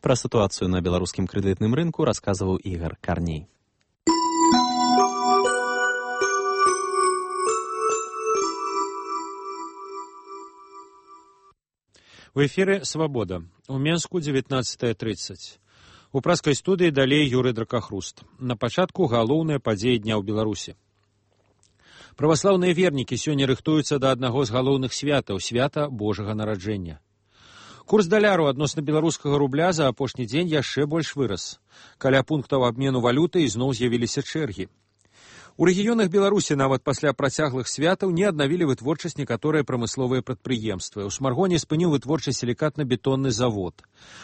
[SPEAKER 1] Пра сітуацыю на беларускім крэдытным рынку расказваў Ігор Карней.
[SPEAKER 12] В эфире «Свобода». У Менску 19:30. У праскай студыі далей Юрый Дракахруст. На пачатку галоўныя падзеі дня ў Беларусі. Праваслаўныя вернікі сёння рыхтуюцца да аднаго з галоўных святаў, свята Божага нараджэння. Курс даляру адносна беларускага рубля за апошні дзень яшчэ больш вырас. Каля пунктаў абмену валюты ізноў з'явіліся чэргі. У рэгіёнах Беларусі нават пасля працяглых святаў не аднавілі вытворчасць некаторыя прамысловыя прадпрыемствы. У Смаргоне спыніў вытворчасць сілікатна-бетонны завод.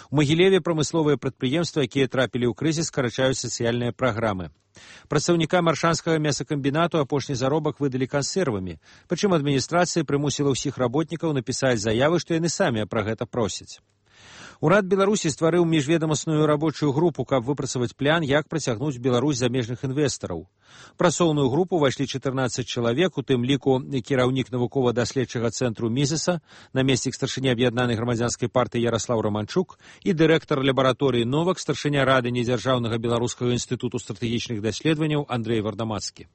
[SPEAKER 12] У Магілеве прамысловыя прадпрыемствы, якія трапілі ў крызіс, скарачаюць сацыяльныя праграмы. Прадстаўнікам аршанскага мясакамбінату апошні заробак выдалі кансервамі, прычым адміністрацыя прымусіла ўсіх работнікаў напісаць заявы, што яны самі пра гэта просяць. Урад Беларусі стварыў міжведамасную рабочую групу, каб выпрацаваць план, як працягнуць Беларусь замежных інвестараў. Працоўную групу ўвайшлі 14 чалавек, у тым ліку кіраўнік навукова-даследчага цэнтру Мізеса, намеснік старшыні аб'яднанай грамадзянскай партыі Яраслаў Раманчук і дырэктар лабараторыі «Новак», старшыня рады недзяржаўнага беларускага інстытуту стратэгічных даследаванняў Андрэй Вардамацкі.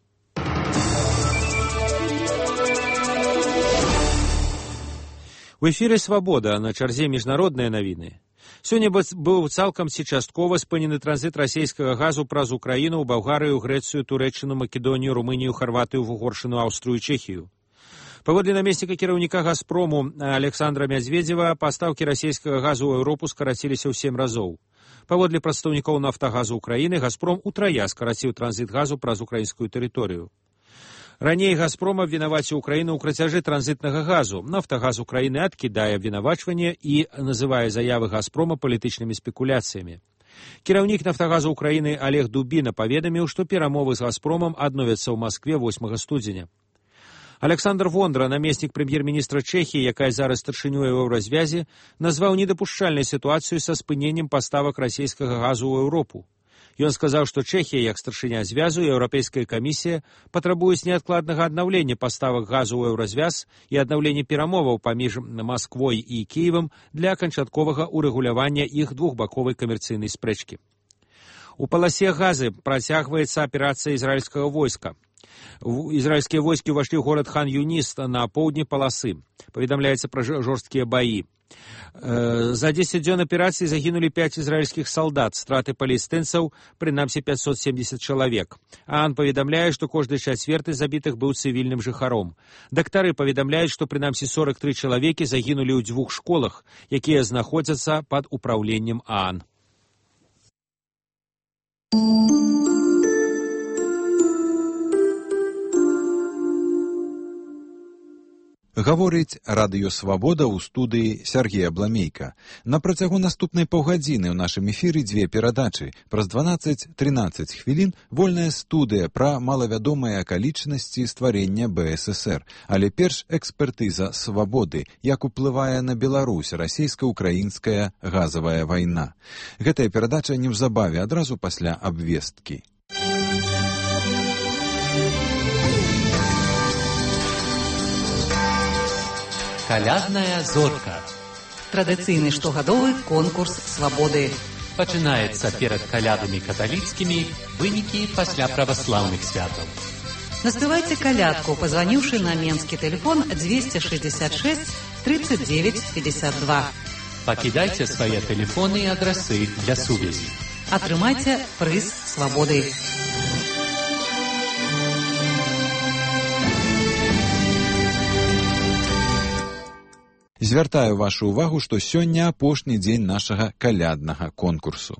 [SPEAKER 12] У эфіры «Свабода», на чарзе міжнародныя навіны. Сёння быў цалкам ці часткова спынены транзіт расійскага газу праз Украіну ў Балгарыю, Грэцыю, Турэччыну, Македонію, Румынію, Харватыю, Вугоршыну, Аўстрыю, Чэхію. Паводле намесніка кіраўніка «Газпрому» Александра Мядзведзева, пастаўкі расійскага газу ў Еўропу скараціліся ў 7 разоў. Паводле прадстаўнікоў «Нафтагазу» Украіны, «Газпром» утрая скараціў транзіт газу праз украінскую тэрыторыю. Раней «Газпром» абвінаваціў Украіну ў крацяжы транзітнага газу. «Нафтагаз» Украіны адкідае абвінавачванне і называе заявы «Газпрома» палітычнымі спекуляцыямі. Кіраўнік «Нафтагазу» Украіны Олег Дубіна паведаміў, што перамовы з «Газпромам» адновяцца ў Маскве 8 студзеня. Александр Вондра, намеснік прэм'ер-міністра Чэхіі, якая зараз старшынёй у еўразвязі, назваў недапушчальнай сітуацыю са спыненнем паставак расійскага газу ў Еўропу. Ён сказаў, што Чэхія, як старшыня звязу, і Еўрапейская камісія патрабуюць неадкладнага аднаўлення паставак газу ў еўразвяз і аднаўлення перамоваў паміж Масквой і Кіевам для канчатковага ўрэгулявання іх двухбаковай камерцыйнай спрэчкі. У паласе Газы працягваецца аперацыя ізраільскага войска. Ізраільскія войскі ўвайшлі ў горад Хан-Юніс на поўдні паласы. Паведамляецца пра жорсткія баі. За 10 дзён аперацыі загінулі 5 ізраільскіх салдат, страты палестынцаў прынамсі 570 чалавек. ААН паведамляе, што кожны чацверты забітых быў цывільным жыхаром. Дактары паведамляюць, што прынамсі 43 чалавекі загінулі ў 2 школах, якія знаходзяцца пад упраўленнем ААН.
[SPEAKER 13] Гаворыць радыё «Свабода» ў студыі Сергея Бламейка. На працягу наступнай паўгадзіны ў нашым эфіры 2 перадачы. Праз 12-13 хвілін вольная студыя пра малавядомыя акалічнасці стварення БССР. Але перш экспертыза «Свабоды», як уплывае на Беларусь расійска-украінская газавая вайна. Гэтая перадача неўзабаве, адразу пасля абвесткі.
[SPEAKER 14] Калядная зорка. Традыцыйны штогадовы конкурс свабоды. Пачынаецца перад калядамі каталіцкімі, вынікі пасля праваслаўных святаў.
[SPEAKER 15] Наспевайте колядку, позвонивший на менский телефон 266 39 52.
[SPEAKER 14] Пакідайце свае тэлефоны і адрасы для сувязі.
[SPEAKER 15] Атрымайце прыз свабоды.
[SPEAKER 13] Звяртаю вашу ўвагу, што сёння апошні дзень нашага каляднага конкурсу.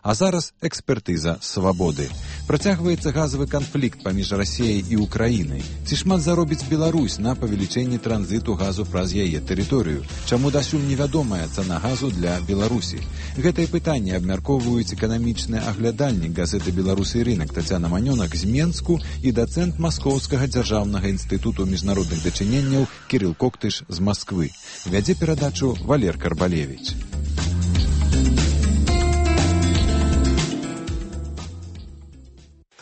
[SPEAKER 13] А зараз экспертыза свабоды. Працягваецца газавы канфлікт паміж Расіяй і Украінай. Ці шмат заробіць Беларусь на павелічэнні транзіту газу праз яе тэрыторыю? Чаму дасюль невядомая цана газу для Беларусі? Гэтае пытанне абмяркоўваюць эканамічны аглядальнік газеты «Беларусь і рынак» Тацяна Манёнак з Менску і дацэнт Маскоўскага дзяржаўнага інстытуту міжнародных дачыненняў Кірыл Коктыш з Масквы. Вядзе перадачу Валер Карбалевіч.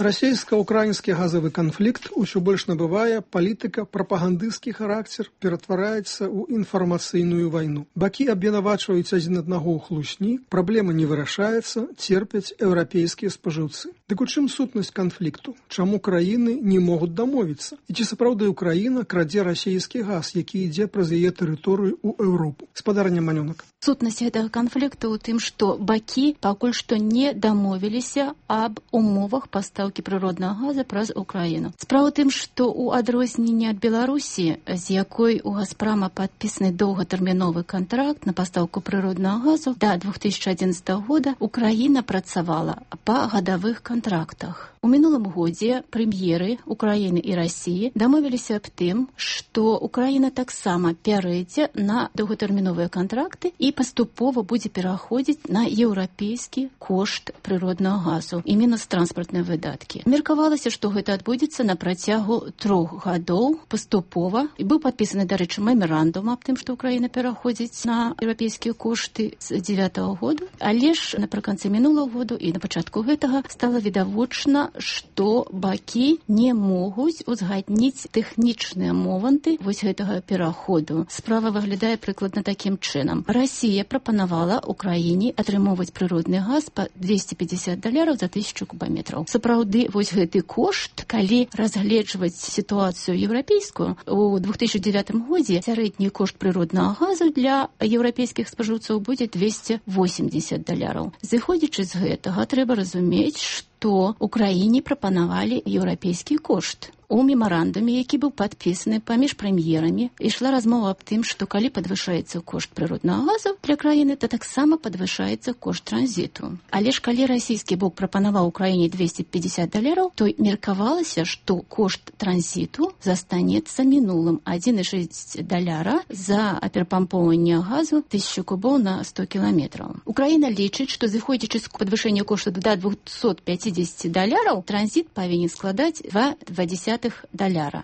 [SPEAKER 3] Расійска-украінскі газавы канфлікт усё больш набывае палітыка-прапагандысцкі характар, ператвараецца ў інфармацыйную вайну. Бакі абвінавачваюць адзін аднаго ў хлусні, праблема не вырашаецца, церпяць еўрапейскія спажыўцы. Дык у чым сутнасць канфлікту? Чаму краіны не могуць дамовіцца? І ці сапраўды Украіна крадзе расійскі газ, які ідзе праз яе тэрыторыю ў Еўропу? Спадарня Манёнак.
[SPEAKER 16] Сутнасць гэтага канфлікту ў тым, што бакі пакуль што не дамовіліся аб умовах пастаўкі прыроднага газа праз Украіну. Справа ў тым, што ў адрозненне ад Беларусі, з якой у Газпрама падпісаны доўгатэрміновы кантракт на пастаўку прыроднага газу, да 2011 года Украіна працавала па гадавых кантрактах. У мінулым годзе прэм'еры Украіны і Расіі дамовіліся аб тым, што Украіна таксама пярэдзе на доўгатэрміновыя кантракты і паступова будзе пераходзіць на еўрапейскі кошт прыроднага газу і мінус транспартныя выдаткі. Меркавалася, што гэта адбудзецца на працягу 3 гадоў паступова. І быў падпісаны, дарэчы, мемарандум аб тым, што Украіна пераходзіць на еўрапейскія кошты з 9-го году. Але ж напрыканцы мінулого году і на пачатку гэтага стала відавочна, што бакі не могуць узгадніць тэхнічныя моманты вось гэтага пераходу. Справа выглядае прыкладна такім чынам. Расія прапанавала Украіне атрымоўваць прыродны газ па $250 за 1000 кубаметраў. Сапраўды, вось гэты кошт, калі разгледжваць сітуацыю еўрапейскую, у 2009 годзе сярэдні кошт прыроднага газу для еўрапейскіх спажыўцоў будзе $280. Зыходзячы з гэтага, трэба разумець, што Украіне прапанавалі еўрапейскі кошт. У мемарандуме, які быў падпісаны паміж прэм'ерамі, ішла размова аб тым, што калі падвышаецца кошт прыроднага газу для краіны, то таксама падвышаецца кошт транзіту. Але ж калі расійскі бок прапанаваў Украіне $250, то меркавалася, што кошт транзіту застанецца мінулым $1,6 за перапампоўванне газу 1000 кубоў на 100 кіламетраў. Украіна лічыць, што зыходзячы з падвышэння кошту да $250, транзіт павінен складаць $2,2.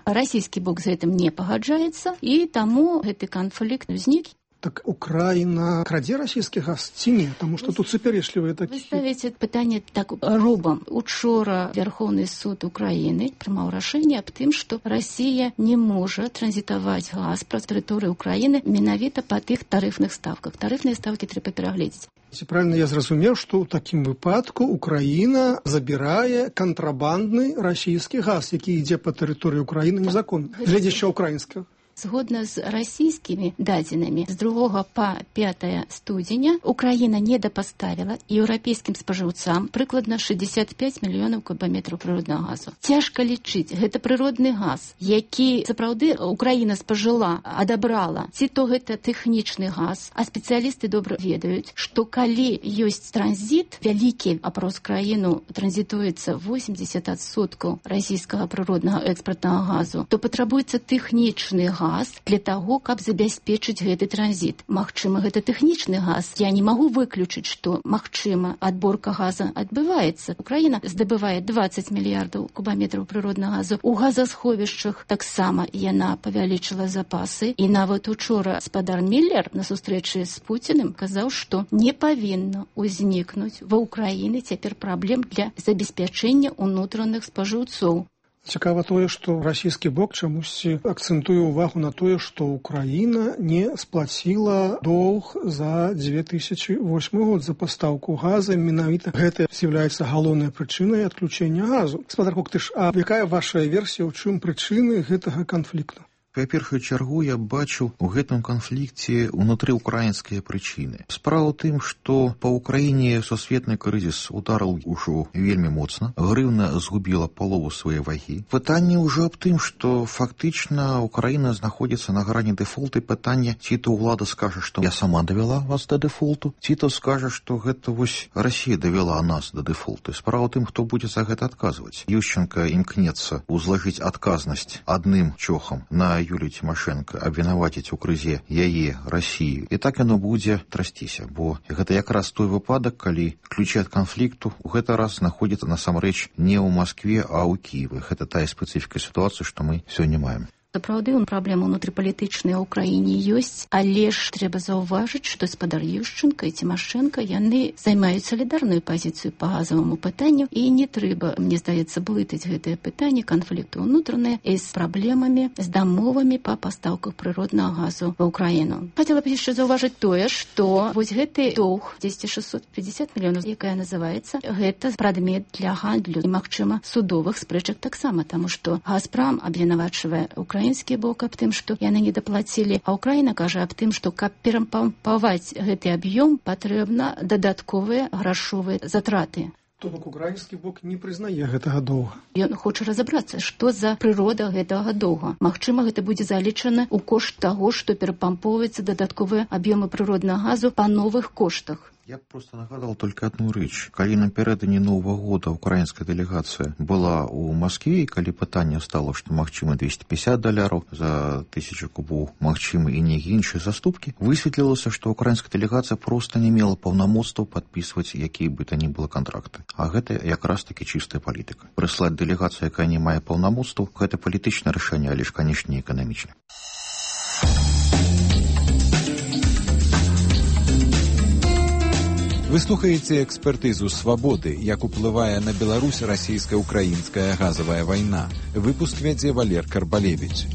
[SPEAKER 16] Расійскі бок з гэтым не пагаджаецца, і таму гэты канфлікт узнік.
[SPEAKER 3] Так Украіна крадзе расійскі газ ці не? Таму што тут супярэчлівыя такія.
[SPEAKER 16] Вы ставіце пытанне так робам. Учора Верховны суд Украіны прымаў рашэнне аб тым, што Расія не можа транзітаваць газ праз тэрыторыю Украіны менавіта па тых тарыфных ставках. Тарыфныя ставкі трэба перагледзець.
[SPEAKER 3] Ці правильно я зразумеў, што ў такім выпадку Украіна забірае кантрабандны расійскі газ, які ідзе па тэрыторыі Украіны незаконна, гледзячы украінскага.
[SPEAKER 16] Згодна з расійскімі дадзенымі, з 2 па 5 студзеня Украіна недапаставіла еўрапейскім спажыўцам прыкладна 65 мільёнаў кубаметраў прыроднага газу. Цяжка лічыць, гэта прыродны газ, які сапраўды Украіна спажыла, адабрала. Ці то гэта тэхнічны газ, а спецыялісты добра ведаюць, што калі ёсць транзіт, вялікі апроз краіну транзітуецца 80% расійскага прыроднага экспартнага газу, то патрабуецца тэхнічны газ для таго, каб забяспечыць гэты транзіт. Магчыма, гэта тэхнічны газ. Я не магу выключыць, што, магчыма, адборка газа адбываецца. Украіна здабывае 20 мільярдаў кубаметраў прыроднага газу. У газасховішчах таксама яна павялічыла запасы. І нават учора спадар Міллер на сустрэчы з Пуціным казаў, што не павінна ўзнікнуць ва Ўкраіны цяпер праблем для забеспячэння ўнутраных спажыўцоў.
[SPEAKER 3] Цікава тое, што расійскі бок чамусьці акцэнтуе ўвагу на тое, што Украіна не сплаціла доўг за 2008 год за пастаўку газа. Менавіта гэта з'яўляецца галоўнай прычынай адключэння газу. Гаспадар Коктыш, а якая ваша версія, ў чым прычыны гэтага канфлікту?
[SPEAKER 17] Па першую чаргу я бачу у гэтым канфлікце унутрыўкраінскія прычыны. Справа ў тым, што па ўкраіне сусветны крызіс ударыў ужо вельмі моцна, грыўна згубіла палову свае вагі. Пытанне ўжо аб тым, што фактычна Украіна знаходзіцца на грані дэфолту. Пытанне, ці то ўлада скажа, што я сама давяла вас да дэфолту, ці то скажа, што гэта вось Расія давяла нас да дэфолту. Справа ў тым, хто будзе за гэта адказваць. Ющенка імкнецца узлажыць адказнасць адным чохам на Юлію Тимошенко, абвінаваціць у крызе яе, Расію. І так яно будзе трасціся, бо гэта якраз той выпадак, калі ключы ад канфлікту ў гэты раз знаходзяцца насамрэч не ў Маскве, а ў Кіеве. Гэта тая спецыфіка сітуацыі, што мы сёння маем.
[SPEAKER 16] Сапраўды, праблема ўнутрыпалітычная ў краіне ёсць, але ж трэба заўважыць, што гаспадар Ющенка і Тимошенко яны займаюць салідарную пазіцыю па газаваму пытанню, і не трэба, мне здаецца, блытаць гэтае пытанне канфлікту ўнутраныя з праблемамі, з дамовамі па пастаўках прыроднага газу ва ўкраіну. Хацела б яшчэ заўважыць тое, што вось гэты доўг 650 мільёнаў, якая называецца, гэта прадмет для гандлю і, магчыма, судовых спрэчак таксама, таму што Газпром абвінавачвае украінскі бок аб тым, што яны не даплацілі, а Украіна кажа аб тым, што каб перапампаваць гэты аб'ём, патрэбна дадатковыя грашовыя затраты.
[SPEAKER 3] То бок украінскі бок не прызнае гэтага доўга.
[SPEAKER 16] Ён хоча разабрацца, што за прырода гэтага доўга. Магчыма, гэта будзе залічана ў кошт таго, што перапампоўваецца дадатковыя аб'ёмы прыроднага газу па новых коштах.
[SPEAKER 17] Я б просто нагадал только одну рэч. Калі напярэдадні Новага года украінская дэлегацыя была ў Маскве, і калі пытанне стало, што магчыма $250 за 1000 кубоў, магчыма і нейкія іншыя заступкі, высветлілася, што украінская дэлегацыя проста не мела паўнамоцтваў падпісваць якія бы то ні было кантракты. А гэта якраз таки чыстая палітыка. Прыслаць дэлегацыю, якая не мае паўнамоцтваў, гэта палітычнае рашэнне, але ж, канешне, не эканамічна.
[SPEAKER 13] Вы слухаеце экспертызу «Свабоды», як уплывае на Беларусь расійска-украінская газавая вайна. Выпуск вядзе Валер Карбалевіч.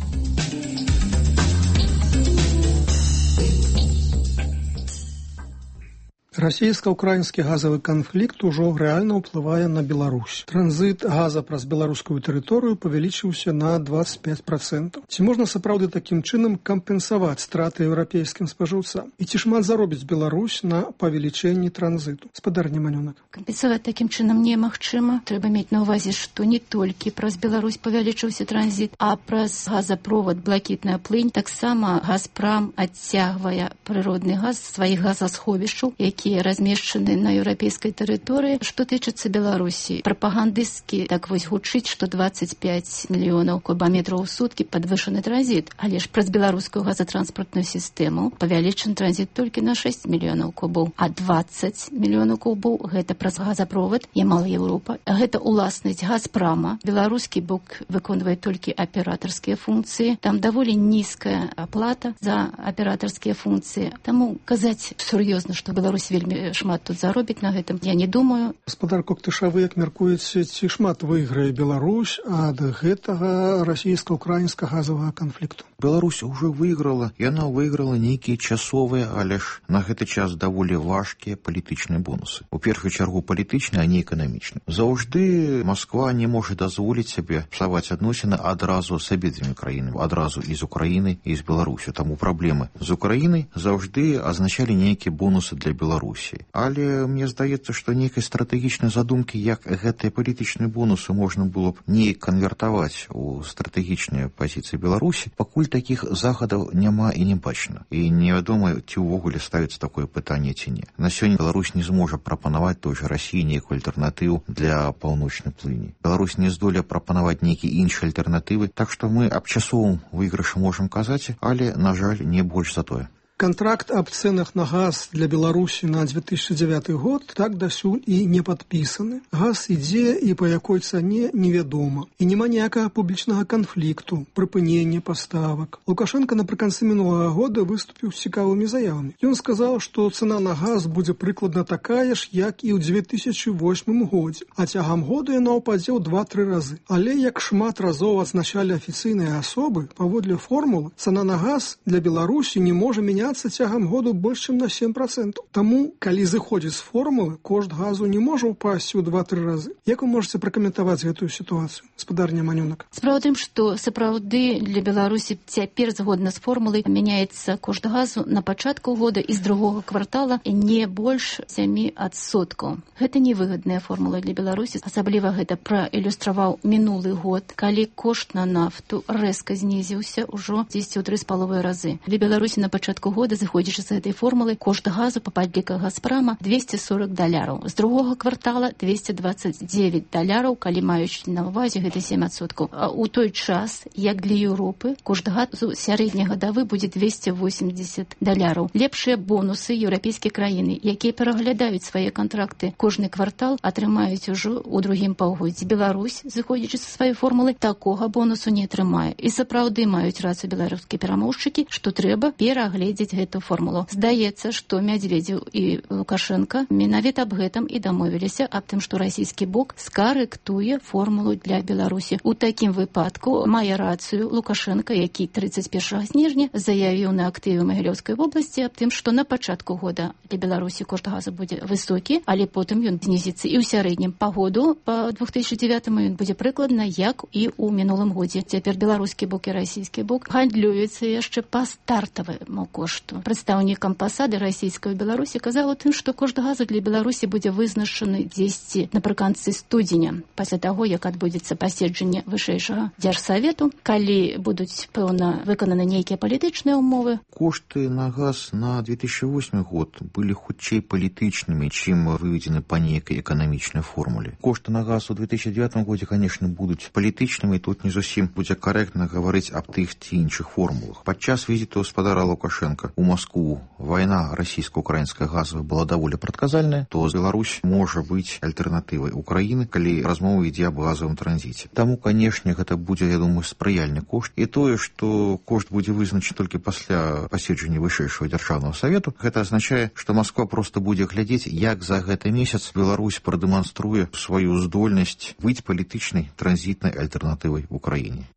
[SPEAKER 3] Расійска-украінскі газавы канфлікт ужо рэальна ўплывае на Беларусь. Транзіт газа праз беларускую тэрыторыю павялічыўся на 25%. Ці можна сапраўды такім чынам кампенсаваць страты еўрапейскім спажыўцам? І ці шмат заробіць Беларусь на павелічэнні транзіту? Гаспадар Неманёнак.
[SPEAKER 16] Кампенсаваць такім чынам немагчыма. Трэба мець на ўвазе, што не толькі праз Беларусь павялічыўся транзіт, а праз газапровод «Блакітная плынь» таксама Газпром адцягвае прыродны газ з сваіх газасховішчаў, якія размешчаны на еўрапейскай тэрыторыі. Што тычыцца Беларусі, прапагандысцкі так вось гучыць, што 25 мільёнаў кубаметраў у суткі падвышаны транзіт, але ж праз беларускую газатранспартную сістэму павялічаны транзіт толькі на 6 мільёнаў кубоў, а 20 мільёнаў кубоў гэта праз газапровод Ямал-Еўропа. Гэта уласнасць Газпрома. Беларускі бок выконвае толькі аператарскія функцыі. Там даволі нізкая аплата за аператарскія функцыі. Таму казаць сур'ёзна, што Беларусь вельмі шмат тут заробіць на гэтым, я не думаю.
[SPEAKER 3] Гаспадар Коктыш, вы як мяркуеце, ці шмат выйграе Беларусь ад гэтага расійска-украінскага газавага канфлікту?
[SPEAKER 17] Беларусь уже выйграла, яна выйграла нейкія часовыя, але ж на гэты час даволі важкія палітычныя бонусы. У першую чаргу палітычныя, а не эканамічныя. Заўжды Масква не можа дазволіць сабе псаваць адносіны адразу з абедзвюмі краінамі, адразу і з Украінай, і з Беларусю. Таму праблемы з Украінай заўжды азначалі нейкія бонусы для Беларусі. Але мне здаецца, што нейкай стратэгічнай задумкі, як гэтыя палітычныя бонусы можна было б неяк канвертаваць у стратэгічныя пазіцыі Беларусі, пакуль такіх захадаў няма і не бачна. І невядома, ці ўвогуле ставіцца такое пытанне ці не. На сёння Беларусь не зможа прапанаваць той жа Расіі нейкую альтэрнатыву для паўночнай плыні. Беларусь не здолее прапанаваць нейкія іншыя альтэрнатывы, так што мы аб часовым выйгрышы можам казаць, але, на жаль, не больш за тое.
[SPEAKER 3] Контракт об ценах на газ для Беларуси на 2009 год так дасюль и не подписаны. Газ ідзе и по якой цане невядома. И нема ніякага публічнага конфликту, припынення поставок. Лукашенко напрыканцы минулого года выступил с цікавыми заявами. Он сказал, что цена на газ будет прикладно такая ж, як и в 2008 годзе, а тягам года яна упадзе ў 2-3 разы. Але як шмат разоў адзначалі афіцыйныя асобы, паводле формулы, цена на газ для Беларусі не можа мяняцца цягам году больш чым на 7%. Таму, калі зыходзіць з формулы, кошт газу не можа упасці ў 2-3 разы. Як вы можете пракаментаваць гэтую сітуацыю, спадарня Манёнак?
[SPEAKER 16] Справа ў тым, што сапраўды для Беларусі цяпер згодна з формулай мяняецца кошт газу на пачатку года і з другога квартала не больш 7%. Гэта невыгадная формула для Беларусі. Асабліва гэта праілюстраваў мінулы год, калі кошт на нафту рэзка знізіўся ўжо 10,3 разы. Для Беларусі на пачатку года, зыходзячы з гэтай формулы, кошт газу па падліках Газпрама $240. З другога квартала $229, калі маючы на ўвазе гэта 7%. А ў той час, як для Еўропы, кошт газу сярэднегадавы будзе $280. Лепшыя бонусы еўрапейскія краіны, якія пераглядаюць свае кантракты кожны квартал, атрымаюць ужо ў другім паўгоддзі. Беларусь, зыходзячы са сваёй формулы, такога бонусу не атрымае. І сапраўды маюць рацыю беларускія перамоўшчыкі, што трэба перагледзець гэту формулу. Здаецца, што Мядзведзеў і Лукашенко менавіта аб гэтым і дамовіліся, аб тым, што расійскі бок скарэктуе формулу для Беларусі. У такім выпадку мае рацыю Лукашенко, які 31 снежня заявіў на актыве Магілёўскай вобласці аб тым, што на пачатку года для Беларусі кошт газу будзе высокі, але потым ён знізіцца і ў сярэднім па году, па 2009 ён будзе прыкладна як і ў мінулым годзе. Цяпер беларускі бок і расійскі бок гандлююцца яшчэ па стартаваму кошту. Прадстаўнік амбасады расійскай у Беларусі казаў тым, што кошт газу для Беларусі будзе вызначаны дзесьці напрыканцы студзеня, пасля таго, як адбудзецца паседжанне вышэйшага дзяржсавету, калі будуць, пэўна, выкананы нейкія палітычныя ўмовы.
[SPEAKER 17] Кошты на газ на 2008 год былі хутчэй палітычнымі, чым выведены па нейкай эканамічнай формуле. Кошты на газ у 2009 годзе, конечно, будуць палітычнымі, тут не зусім будзе карэктна гаварыць аб тых ці іншых формулах. Падчас візіту гаспадара Лукашенка ў Маскву вайна расійска-украінская газовая была даволі прадказальная, то Беларусь можа быць альтэрнатывай Украіны, калі размова ідзе аб газовым транзіце. Таму, канешне, гэта будзе, я думаю, спрыяльны кошт. І тое, што кошт будзе вызначаны толькі пасля паседжання вышэйшага дзяржаўнага савету, гэта азначае, што Масква проста будзе глядзець, як за гэты месяц Беларусь прадэманструе сваю здольнасць быць палітычнай транзітнай альтэрнатывай Украіне.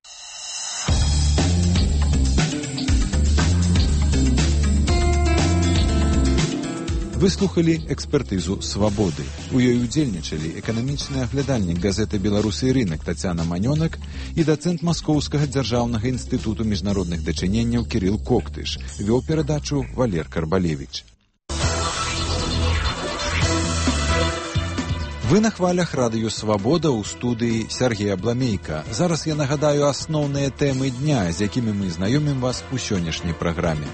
[SPEAKER 13] Вы слухали экспертызу «Свабоды». У ёй удзельнічалі эканамічны аглядальнік газеты «Беларусы і рынак» Тацяна Манёнак і дацэнт Маскоўскага дзяржаўнага інстытуту міжнародных дачыненняў Кірыл Коктыш. Вёў перадачу Валер Карбалевіч. Вы на хвалях радыё «Свабода» ў студыі Сергея Бламейка. Зараз я нагадаю асноўныя тэмы дня, з якімі мы знаёмім вас у сённяшняй праграме.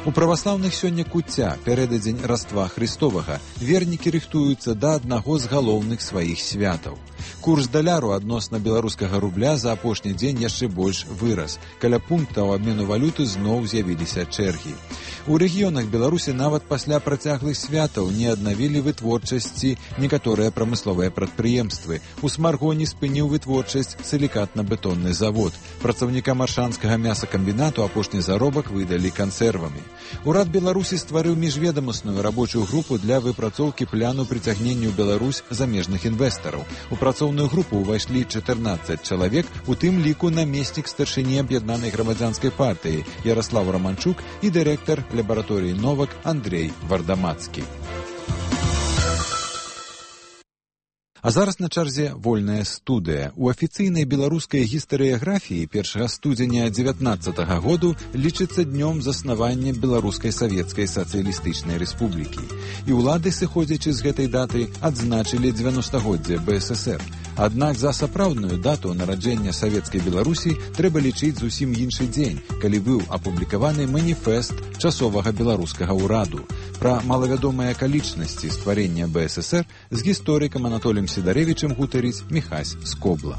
[SPEAKER 13] У праваслаўных сёння куцця, пярэдадзень Раства Христовага, вернікі рыхтуюцца да аднаго з галоўных сваіх святаў. Курс даляру адносна беларускага рубля за апошні дзень яшчэ больш вырас. Каля пунктаў абмену валюты зноў з'явіліся чэргі. У рэгіёнах Беларусі нават пасля працяглых святаў не аднавілі вытворчасці некаторыя прамысловыя прадпрыемствы. У Смаргоні спыніў вытворчасць сілікатна-бетонны завод. Працаўнікам аршанскага мясакамбінату апошні заробак выдалі кансервамі. Урад Беларусі стварыў міжведамасную рабочую групу для выпрацоўкі пляну прыцягнення ў Беларусь замежных інвестараў. У працоўную групу ўвайшлі 14 чалавек, у тым ліку намеснік старшыні аб'яднанай грамадзянскай партыі Яраслаў Раманчук і дырэктар лабараторыі «Новак» Андрей Вардамацкі. А зараз на чарзе вольная студыя. У афіцыйнай беларускай гістарыяграфіі 1 студзеня 19 году лічыцца днём заснавання Беларускай савецкай сацыялістычнай рэспублікі. І ўлады, сыходзячы з гэтай даты, адзначылі 90-годдзе БССР. Аднак за сапраўдную дату нараджэння савецкай Беларусі трэба лічыць зусім іншы дзень, калі быў апублікаваны маніфест часовага беларускага ўраду. Пра малавядомыя акалічнасці стварення БССР з гісторыкам Анатоліем Сідарэвічым гутарыць Міхась Скобла.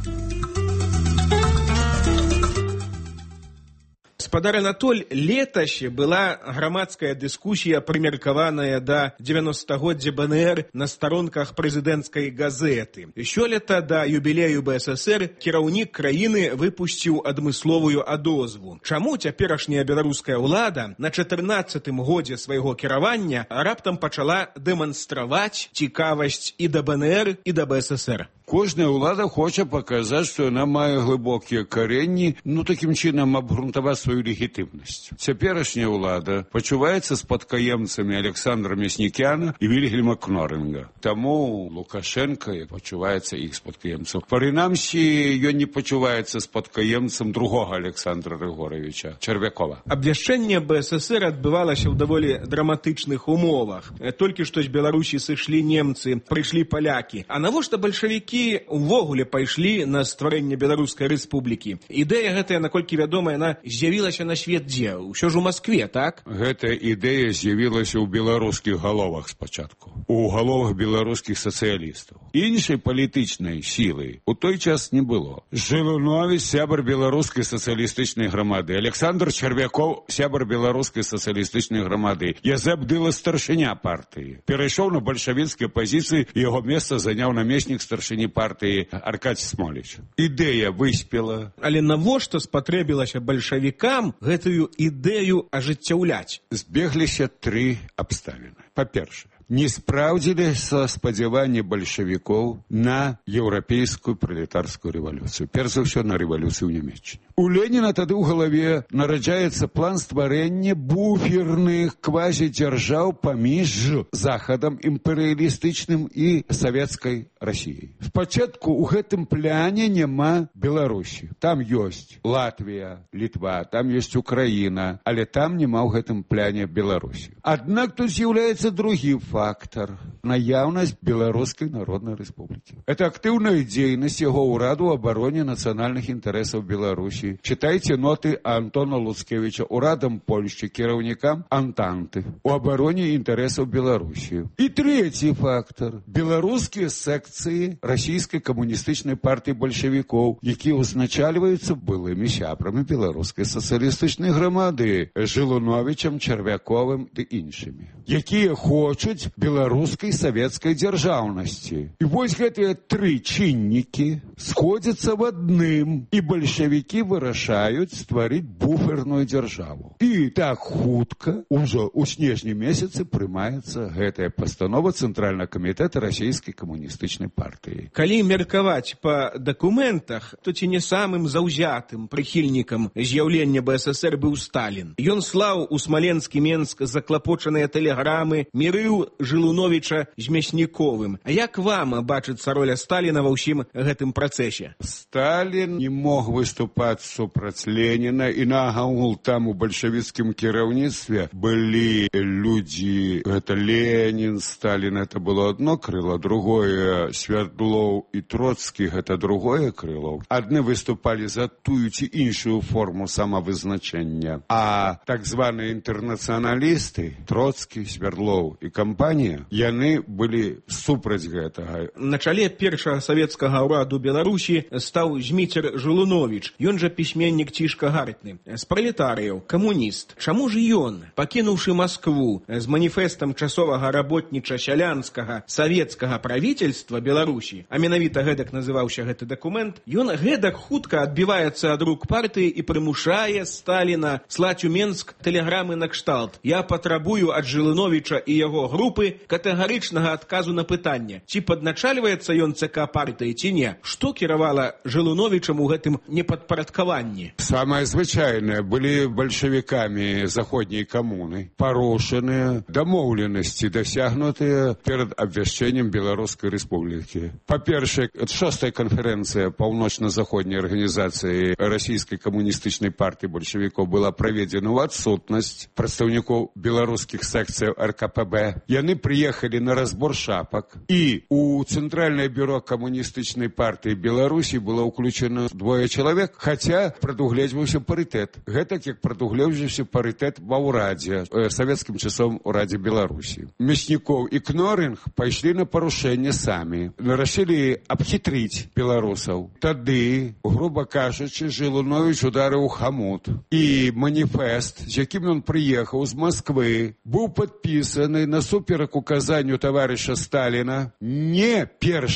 [SPEAKER 7] З Гаспадар Анатоль, летась была грамадская дыскусія, прымеркаваная да 90-годдзя БНР на старонках прэзідэнцкай газеты. Сёлета да юбілею БССР кіраўнік краіны выпусціў адмысловую адозву. Чаму цяперашняя беларуская ўлада на 14-тым годзе свайго кіравання раптам пачала дэманстраваць цікавасць і да БНР, і да БССР?
[SPEAKER 9] Кожная ўлада хоча паказаць, што яна мае глыбокія каренні, такім чынам абгрунтаваць сваю легітымнасць. Цяперашняя ўлада пачуваецца спадкаемцамі Александра Мяснікяна і Вільгельма Кнорінга. Таму Лукашенко пачуваецца іх спадкаемцам. Прынамсі, ён не пачуваецца спадкаемцам другога Александра Рыгоровича, Чарвякова.
[SPEAKER 7] Абвяшчэнне БССР адбывалася ў даволі драматычных умовах. Толькі што з Беларусі сышлі немцы, прыйшлі палякі. А навошта бальшавікі увогуле пайшлі на стварэнне Беларускай рэспублікі? Ідэя гэтая, наколькі вядома, яна з'явілася на свет дзе? Усё ж у Маскве, так?
[SPEAKER 9] Гэтая ідэя з'явілася ў беларускіх галовах спачатку, у галовах беларускіх сацыялістаў. Іншай палітычнай сілы у той час не было. Жылунович, сябар беларускай сацыялістычнай грамады, Александр Чарвяков, сябар беларускай сацыялістычнай грамады, Язэп Дыла, старшыня партыі. Перайшоў на бальшавіцкай пазіцыі, яго месца заняў намеснік старшыні партыі Аркадзь Смоліч. Ідэя выспела.
[SPEAKER 7] Але навошта спатрэбілася бальшавікам гэтую ідэю ажыццяўляць?
[SPEAKER 9] Збегліся тры абставіны. Па-першае, не спраўдзіліся спадзяванні бальшавікоў на еўрапейскую пралетарскую рэвалюцыю. Перш за ўсё, на рэвалюцыю ў Нямецчыне. У Леніна тады ў галаве нараджаецца план стварэння буферных квазідзяржаў паміж Захадам імперыялістычным і савецкай Расіяй. Спачатку ў гэтым пляне няма Беларусі. Там ёсць Латвія, Літва, там ёсць Украіна, але там няма ў гэтым пляне Беларусі. Аднак тут з'яўляецца другі фактор – наяўнасць Беларускай Народнай Рэспублікі. Это актыўная дзейнасць яго ўраду ў абароне нацыянальных інтарэсаў Беларусі. Читайте ноты Антона Луцкевича урадам Польшчы, кіраўнікам Антанты у абароне інтарэсаў Беларусі. І трэці фактор – беларускія секцыі расійскай камуністычнай партыі бальшавікоў, якія ўзначальваюцца былымі сябрамі беларускай сацыялістычнай грамады Жылуновичам, Чарвяковым ды іншымі, якія хочуць беларускай савецкай дзяржаўнасці. І вось гэтыя тры чыннікі сходзяцца в адным, і бальшавікі вырашаюць стварыць буферную дзяржаву. І так хутка, ужо ў снежні месяцы прымаецца гэтая пастанова Цэнтральнага камітэта расійскай камуністычнай партыі.
[SPEAKER 7] Калі меркаваць па дакументах, то ці не самым заўзятым прыхільнікам з'яўлення БССР быў Сталін. Ён слаў у Смаленскі Менск заклапочаныя тэлеграмы, мірыў Жылуновича з Мясніковым. А як вам бачыцца роля Сталіна ва ўсім гэтым працэсе?
[SPEAKER 9] Сталін не мог выступаць супраць Леніна, і нагамул там у бальшавіцкім кіраўніцтве былі людзі, гэта Ленін, Сталін, это было одно крыло, другое Свердлоў і Троцкі, гэта другое крыло. Адны выступалі за тую ці іншую форму самавызначэння, а так званыя інтэрнацыяналісты, Троцкі, Свердлоў і кампанія, яны былі супраць гэтага.
[SPEAKER 7] На чале першага савецкага ўраду Беларусі стаў Зміцер Жылунович. Ён жа пісьменнік Цішка Гартны, з пралетарыяў, камуніст. Чаму ж ён, пакінуўшы Маскву з маніфестам часовага работніча-сялянскага савецкага правительства Беларусі, а менавіта гэтак называўся гэты дакумент, ён гэтак хутка адбіваецца ад рук партыі і прымушае Сталіна слаць у Менск тэлеграмы на кшталт: «Я патрабую ад Жылуновича і яго групы катэгарычнага адказу на пытанне, ці падначальваецца ён ЦК партыі, ці не. Што кіравала Жылуновичам у гэтым непадпарадкаванні?»
[SPEAKER 9] Самае звычайнае, былі бальшавікамі заходняй камуны парушаныя дамоўленасці, дасягнутыя перад абвяшчэннем Беларускай Рэспублікі. Па-першае, 6-я канферэнцыя паўночна-заходняй арганізацыі расійскай камуністычнай партыі бальшавікоў была праведзена ў адсутнасць прадстаўнікоў беларускіх секцыяў РКПБ. Яны прыехалі на разбор шапак, і у Цэнтральнае бюро камуністычнай партыі Беларусі было ўключана 2 чалавек, хаця прадугледжваўся парытэт. Гэтак як прадугледжваўся парытэт ва ўрадзе, савецкім часом урадзе Беларусі. Мяснікоў і Кноринг пайшлі на парушэнне самі. Рашылі абхітрыць беларусаў. Тады, груба кажучы, Жылунович ударыў хамут. І маніфест, з якім ён прыехаў з Москвы, быў падпісаны насуперак указанню таварыша Сталіна не 1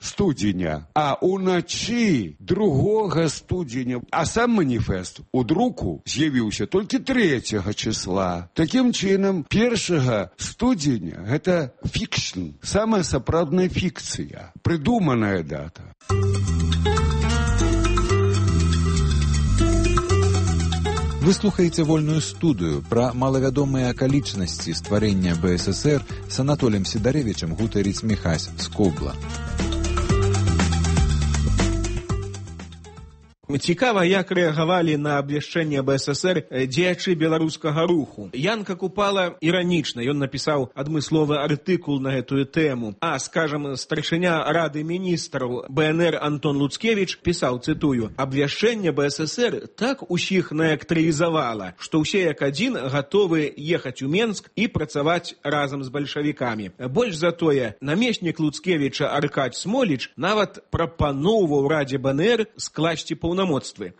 [SPEAKER 9] студзеня, а ўначы 2 студзеня. А сам маніфест у друку з'явіўся толькі 3 числа. Такім чынам, 1 студзеня – гэта фікшн, самая сапраўдная фікцыя, прыдуманая дата.
[SPEAKER 13] Вы слухаеце вольную студыю пра малавядомыя акалічнасці стварэння БССР з Анатоліем Сідарэвічам гутарыць Міхась з Кобла.
[SPEAKER 7] Цікава, як рэагавалі на абвяшчэнне БССР дзеячы беларускага руху. Янка Купала іранічна, ён напісаў адмысловы артыкул на гэтую тэму. А, скажам, старшыня Рады міністраў БНР Антон Луцкевіч пісаў, цытую, «Абвяшчэнне БССР так усіх наэлектрызавала, што ўсе як адзін гатовы ехаць у Менск і працаваць разам з бальшавікамі. Больш за тое, намеснік Луцкевіча Аркадь Смоліч нават прапаноўваў Радзе БНР скласці паўнамоцтвы.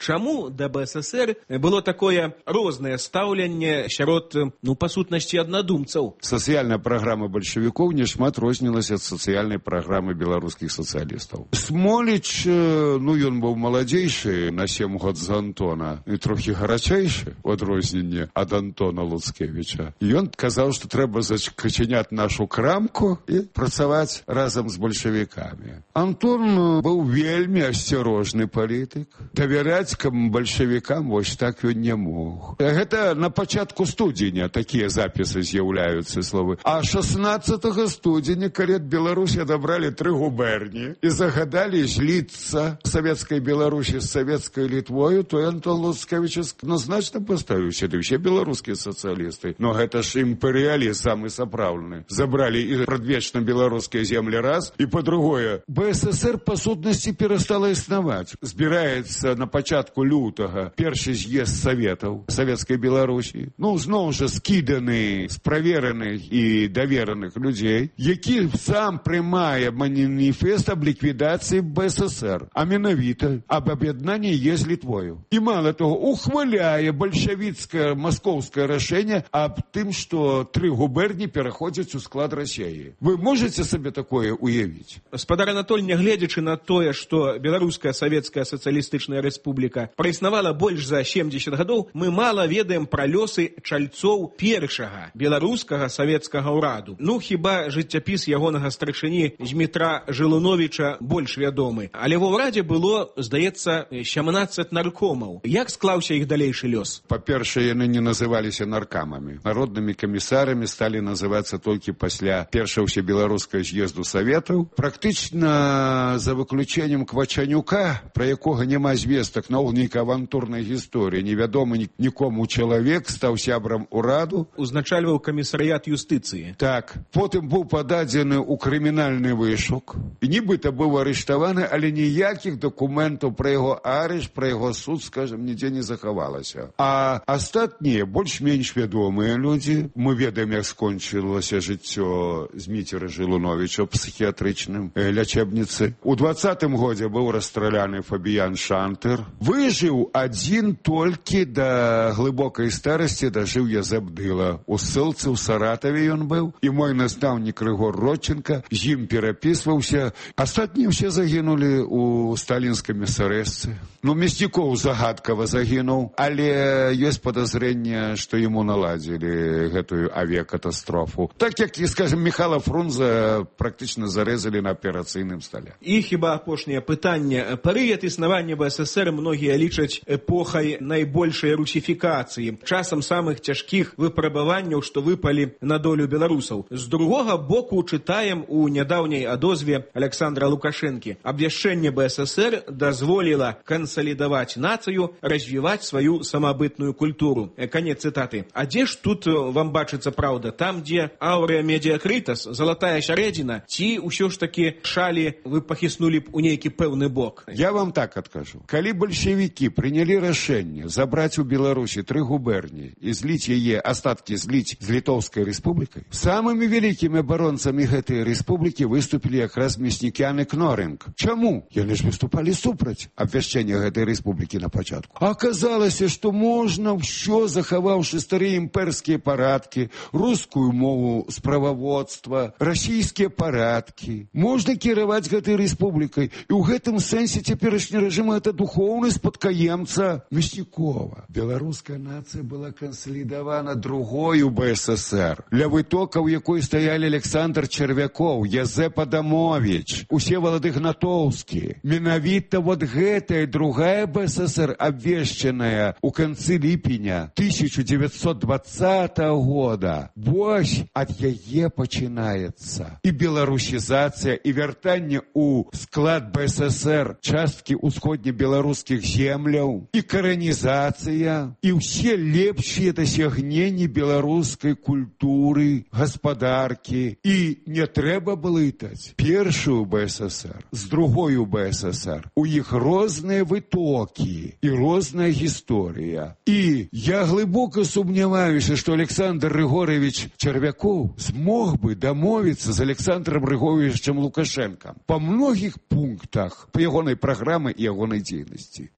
[SPEAKER 7] Чаму да БССР было такое рознае стаўленне сярод, па сутнасці, аднадумцаў?
[SPEAKER 9] Сацыяльная праграма бальшавікоў нешмат рознілася ад сацыяльнай праграмы беларускіх сацыялістаў. Смоліч, ён быў маладзейшы на 7 год за Антона і трохі гарачэйшы у адрозненне ад Антона Луцкевіча. Ён казаў, што трэба зачыняць нашу крамку і працаваць разам з бальшавікамі. Антон быў вельмі асцярожны палітык. Давяраць бальшавікам вось так ён не мог. Гэта на пачатку студзеня такія запісы з'яўляюцца словы. А 16 студзеня, калі ад Беларусі адабралі 3 губерні і загадалі зліцца савецкай Беларусі з савецкай Літвою, то Антон Луцкевіч значна паставіў сюды ўсе беларускія сацыялісты. Но гэта ж імперыялізм самы сапраўдны. Забралі і прадвечна беларускія землі раз, і па-другое, БССР па сутнасці перастала існаваць. Збіраецца на пачатку лютага першы з'езд саветаў савецкай Беларусі. Зноў жа скіданы з правераных і давераных людзей, які сам прымае маніфест аб ліквідацыі БССР, а менавіта аб аб'яднанні з Літвою. І мала того, ухваляе бальшавіцкае маскоўскае рашэнне аб тым, што 3 губерні пераходзяць у склад Расіі. Вы можаце сабе такое уявіць?
[SPEAKER 7] Спадар Анатоль, нягледзячы на тое, што беларуская савецкая сацыялістычная рэспубліка праіснавала больш за 70 гадоў, мы мала ведаем пра лёсы чальцоў першага беларускага савецкага ўраду. Хіба жыццяпіс ягонага старшыні Змітра Жылуновіча больш вядомы. Але ва ўрадзе было, здаецца, 17 наркомаў. Як склаўся іх далейшы лёс?
[SPEAKER 9] Па-першае, яны не называліся наркамамі. Народнымі камісарамі сталі называцца толькі пасля першага ўсебеларускага з'езду саветаў. Практычна за выключэннем Квачанюка, пра якога няма звестак, наогул нейкая авантурная гісторыя. Невядомы нікому чалавек стаў сябрам ураду.
[SPEAKER 7] Узначальваў камісарыят юстыцыі.
[SPEAKER 9] Так. Потым быў пададзены ў крымінальны вышук. І нібыта быў арыштаваны, але ніякіх дакументаў пра яго арышт, пра яго суд, скажам, нідзе не захавалася. А астатнія, больш-менш вядомыя людзі, мы ведаем, як скончылася жыццё Зміцера Жылуновіча ў псіхіятрычным лячэбніцы. У 20-м годзе быў расстраляны Фабіян Шантер. Выжыў адзін толькі да глыбокай старасці, дажыў Язэп Дыла. У ссылцы ў Саратаве ён быў, і мой настаўнік Рыгор Родченко з ім перапісваўся. Астатнія ўсе загінулі ў сталінскай мясарэзцы. Мяснікоў загадкава загінуў, але ёсць падазрэнне, што яму наладзілі гэтую авіякатастрофу. Так як, скажем, Михайла Фрунзе практычна зарэзалі на аперацыйным стале.
[SPEAKER 7] І хіба апошняе пытанне. Перыяд існавання БССР БССР многія лічаць эпохай найбольшай русіфікацыі, часам самых цяжкіх выпрабаванняў, што выпалі на долю беларусаў. З другога боку чытаем у нядаўняй адозве Александра Лукашэнкі. Абвяшчэнне БССР дазволіла кансалідаваць нацыю, развіваць сваю самабытную культуру. Канец цытаты. А дзе ж тут вам бачыцца праўда? Там, дзе ауrea медиакритас, залатая сярэдзіна, ці ўсё ж такі шалі вы пахіснулі б у нейкі пэўны бок?
[SPEAKER 9] Я вам так адкажу. Калі бальшавікі прынялі рашэнне забраць у Беларусі 3 губерні і зліць яе, астаткі зліць з Літоўскай рэспублікай, самымі вялікімі абаронцамі гэтай рэспублікі выступілі якраз Мяснікян і Кнорынг. Чаму? Яны ж выступалі супраць абвяшчэння гэтай рэспублікі на пачатку. Аказалася, што можна ўсё, захаваўшы старыя імперскія парадкі, рускую мову справаводства, расійскія парадкі. Можна кіраваць гэтай рэспублікай. І ў гэтым сэнсе цяперашні рэжым — гэта духоўны спадкаемца Мяснікова. Беларуская нацыя была кансалідавана другою БССР, ля вытокаў якой стаялі Александр Червякоў, Язэп Адамович, Усевалад Ігнатоўскі. Менавіта вот гэтая другая БССР, абвешчаная ў канцы ліпеня 1920 года, вось ад яе пачынаецца і беларусізацыя, і вяртанне ў склад БССР часткі ўсходнебеларускіх земляў, і каранізацыя, і ўсе лепшыя дасягненні беларускай культуры, гаспадаркі. І не трэба блытаць першую БССР з другою БССР. У іх розныя вытокі і розная гісторыя. І я глыбока сумняваюся, што Александр Григорьевич Червякоў змог бы дамовіцца з Александром Григорьевичем Лукашенком па многіх пунктах па ягонай праграмы і ягонай дзейнасці.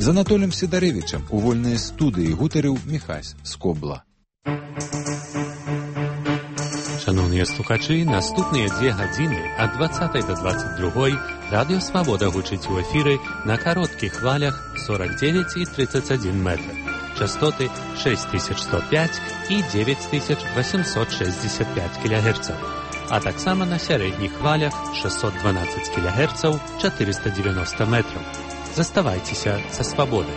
[SPEAKER 13] З Анатолем Сідарэвічам у вольнай студыі гутарыў Міхась Скобла.
[SPEAKER 14] Шановныя слухачы, наступныя 2 гадзіны ад 20 до 22 Радыё Свабода гучыць у эфіры на кароткіх хвалях 49 і 31 метр. Частоты 6105 і 9865 кГц. А таксама на сярэдніх хвалях 612 кГц 490 метраў. Заставайцеся са Свабодай.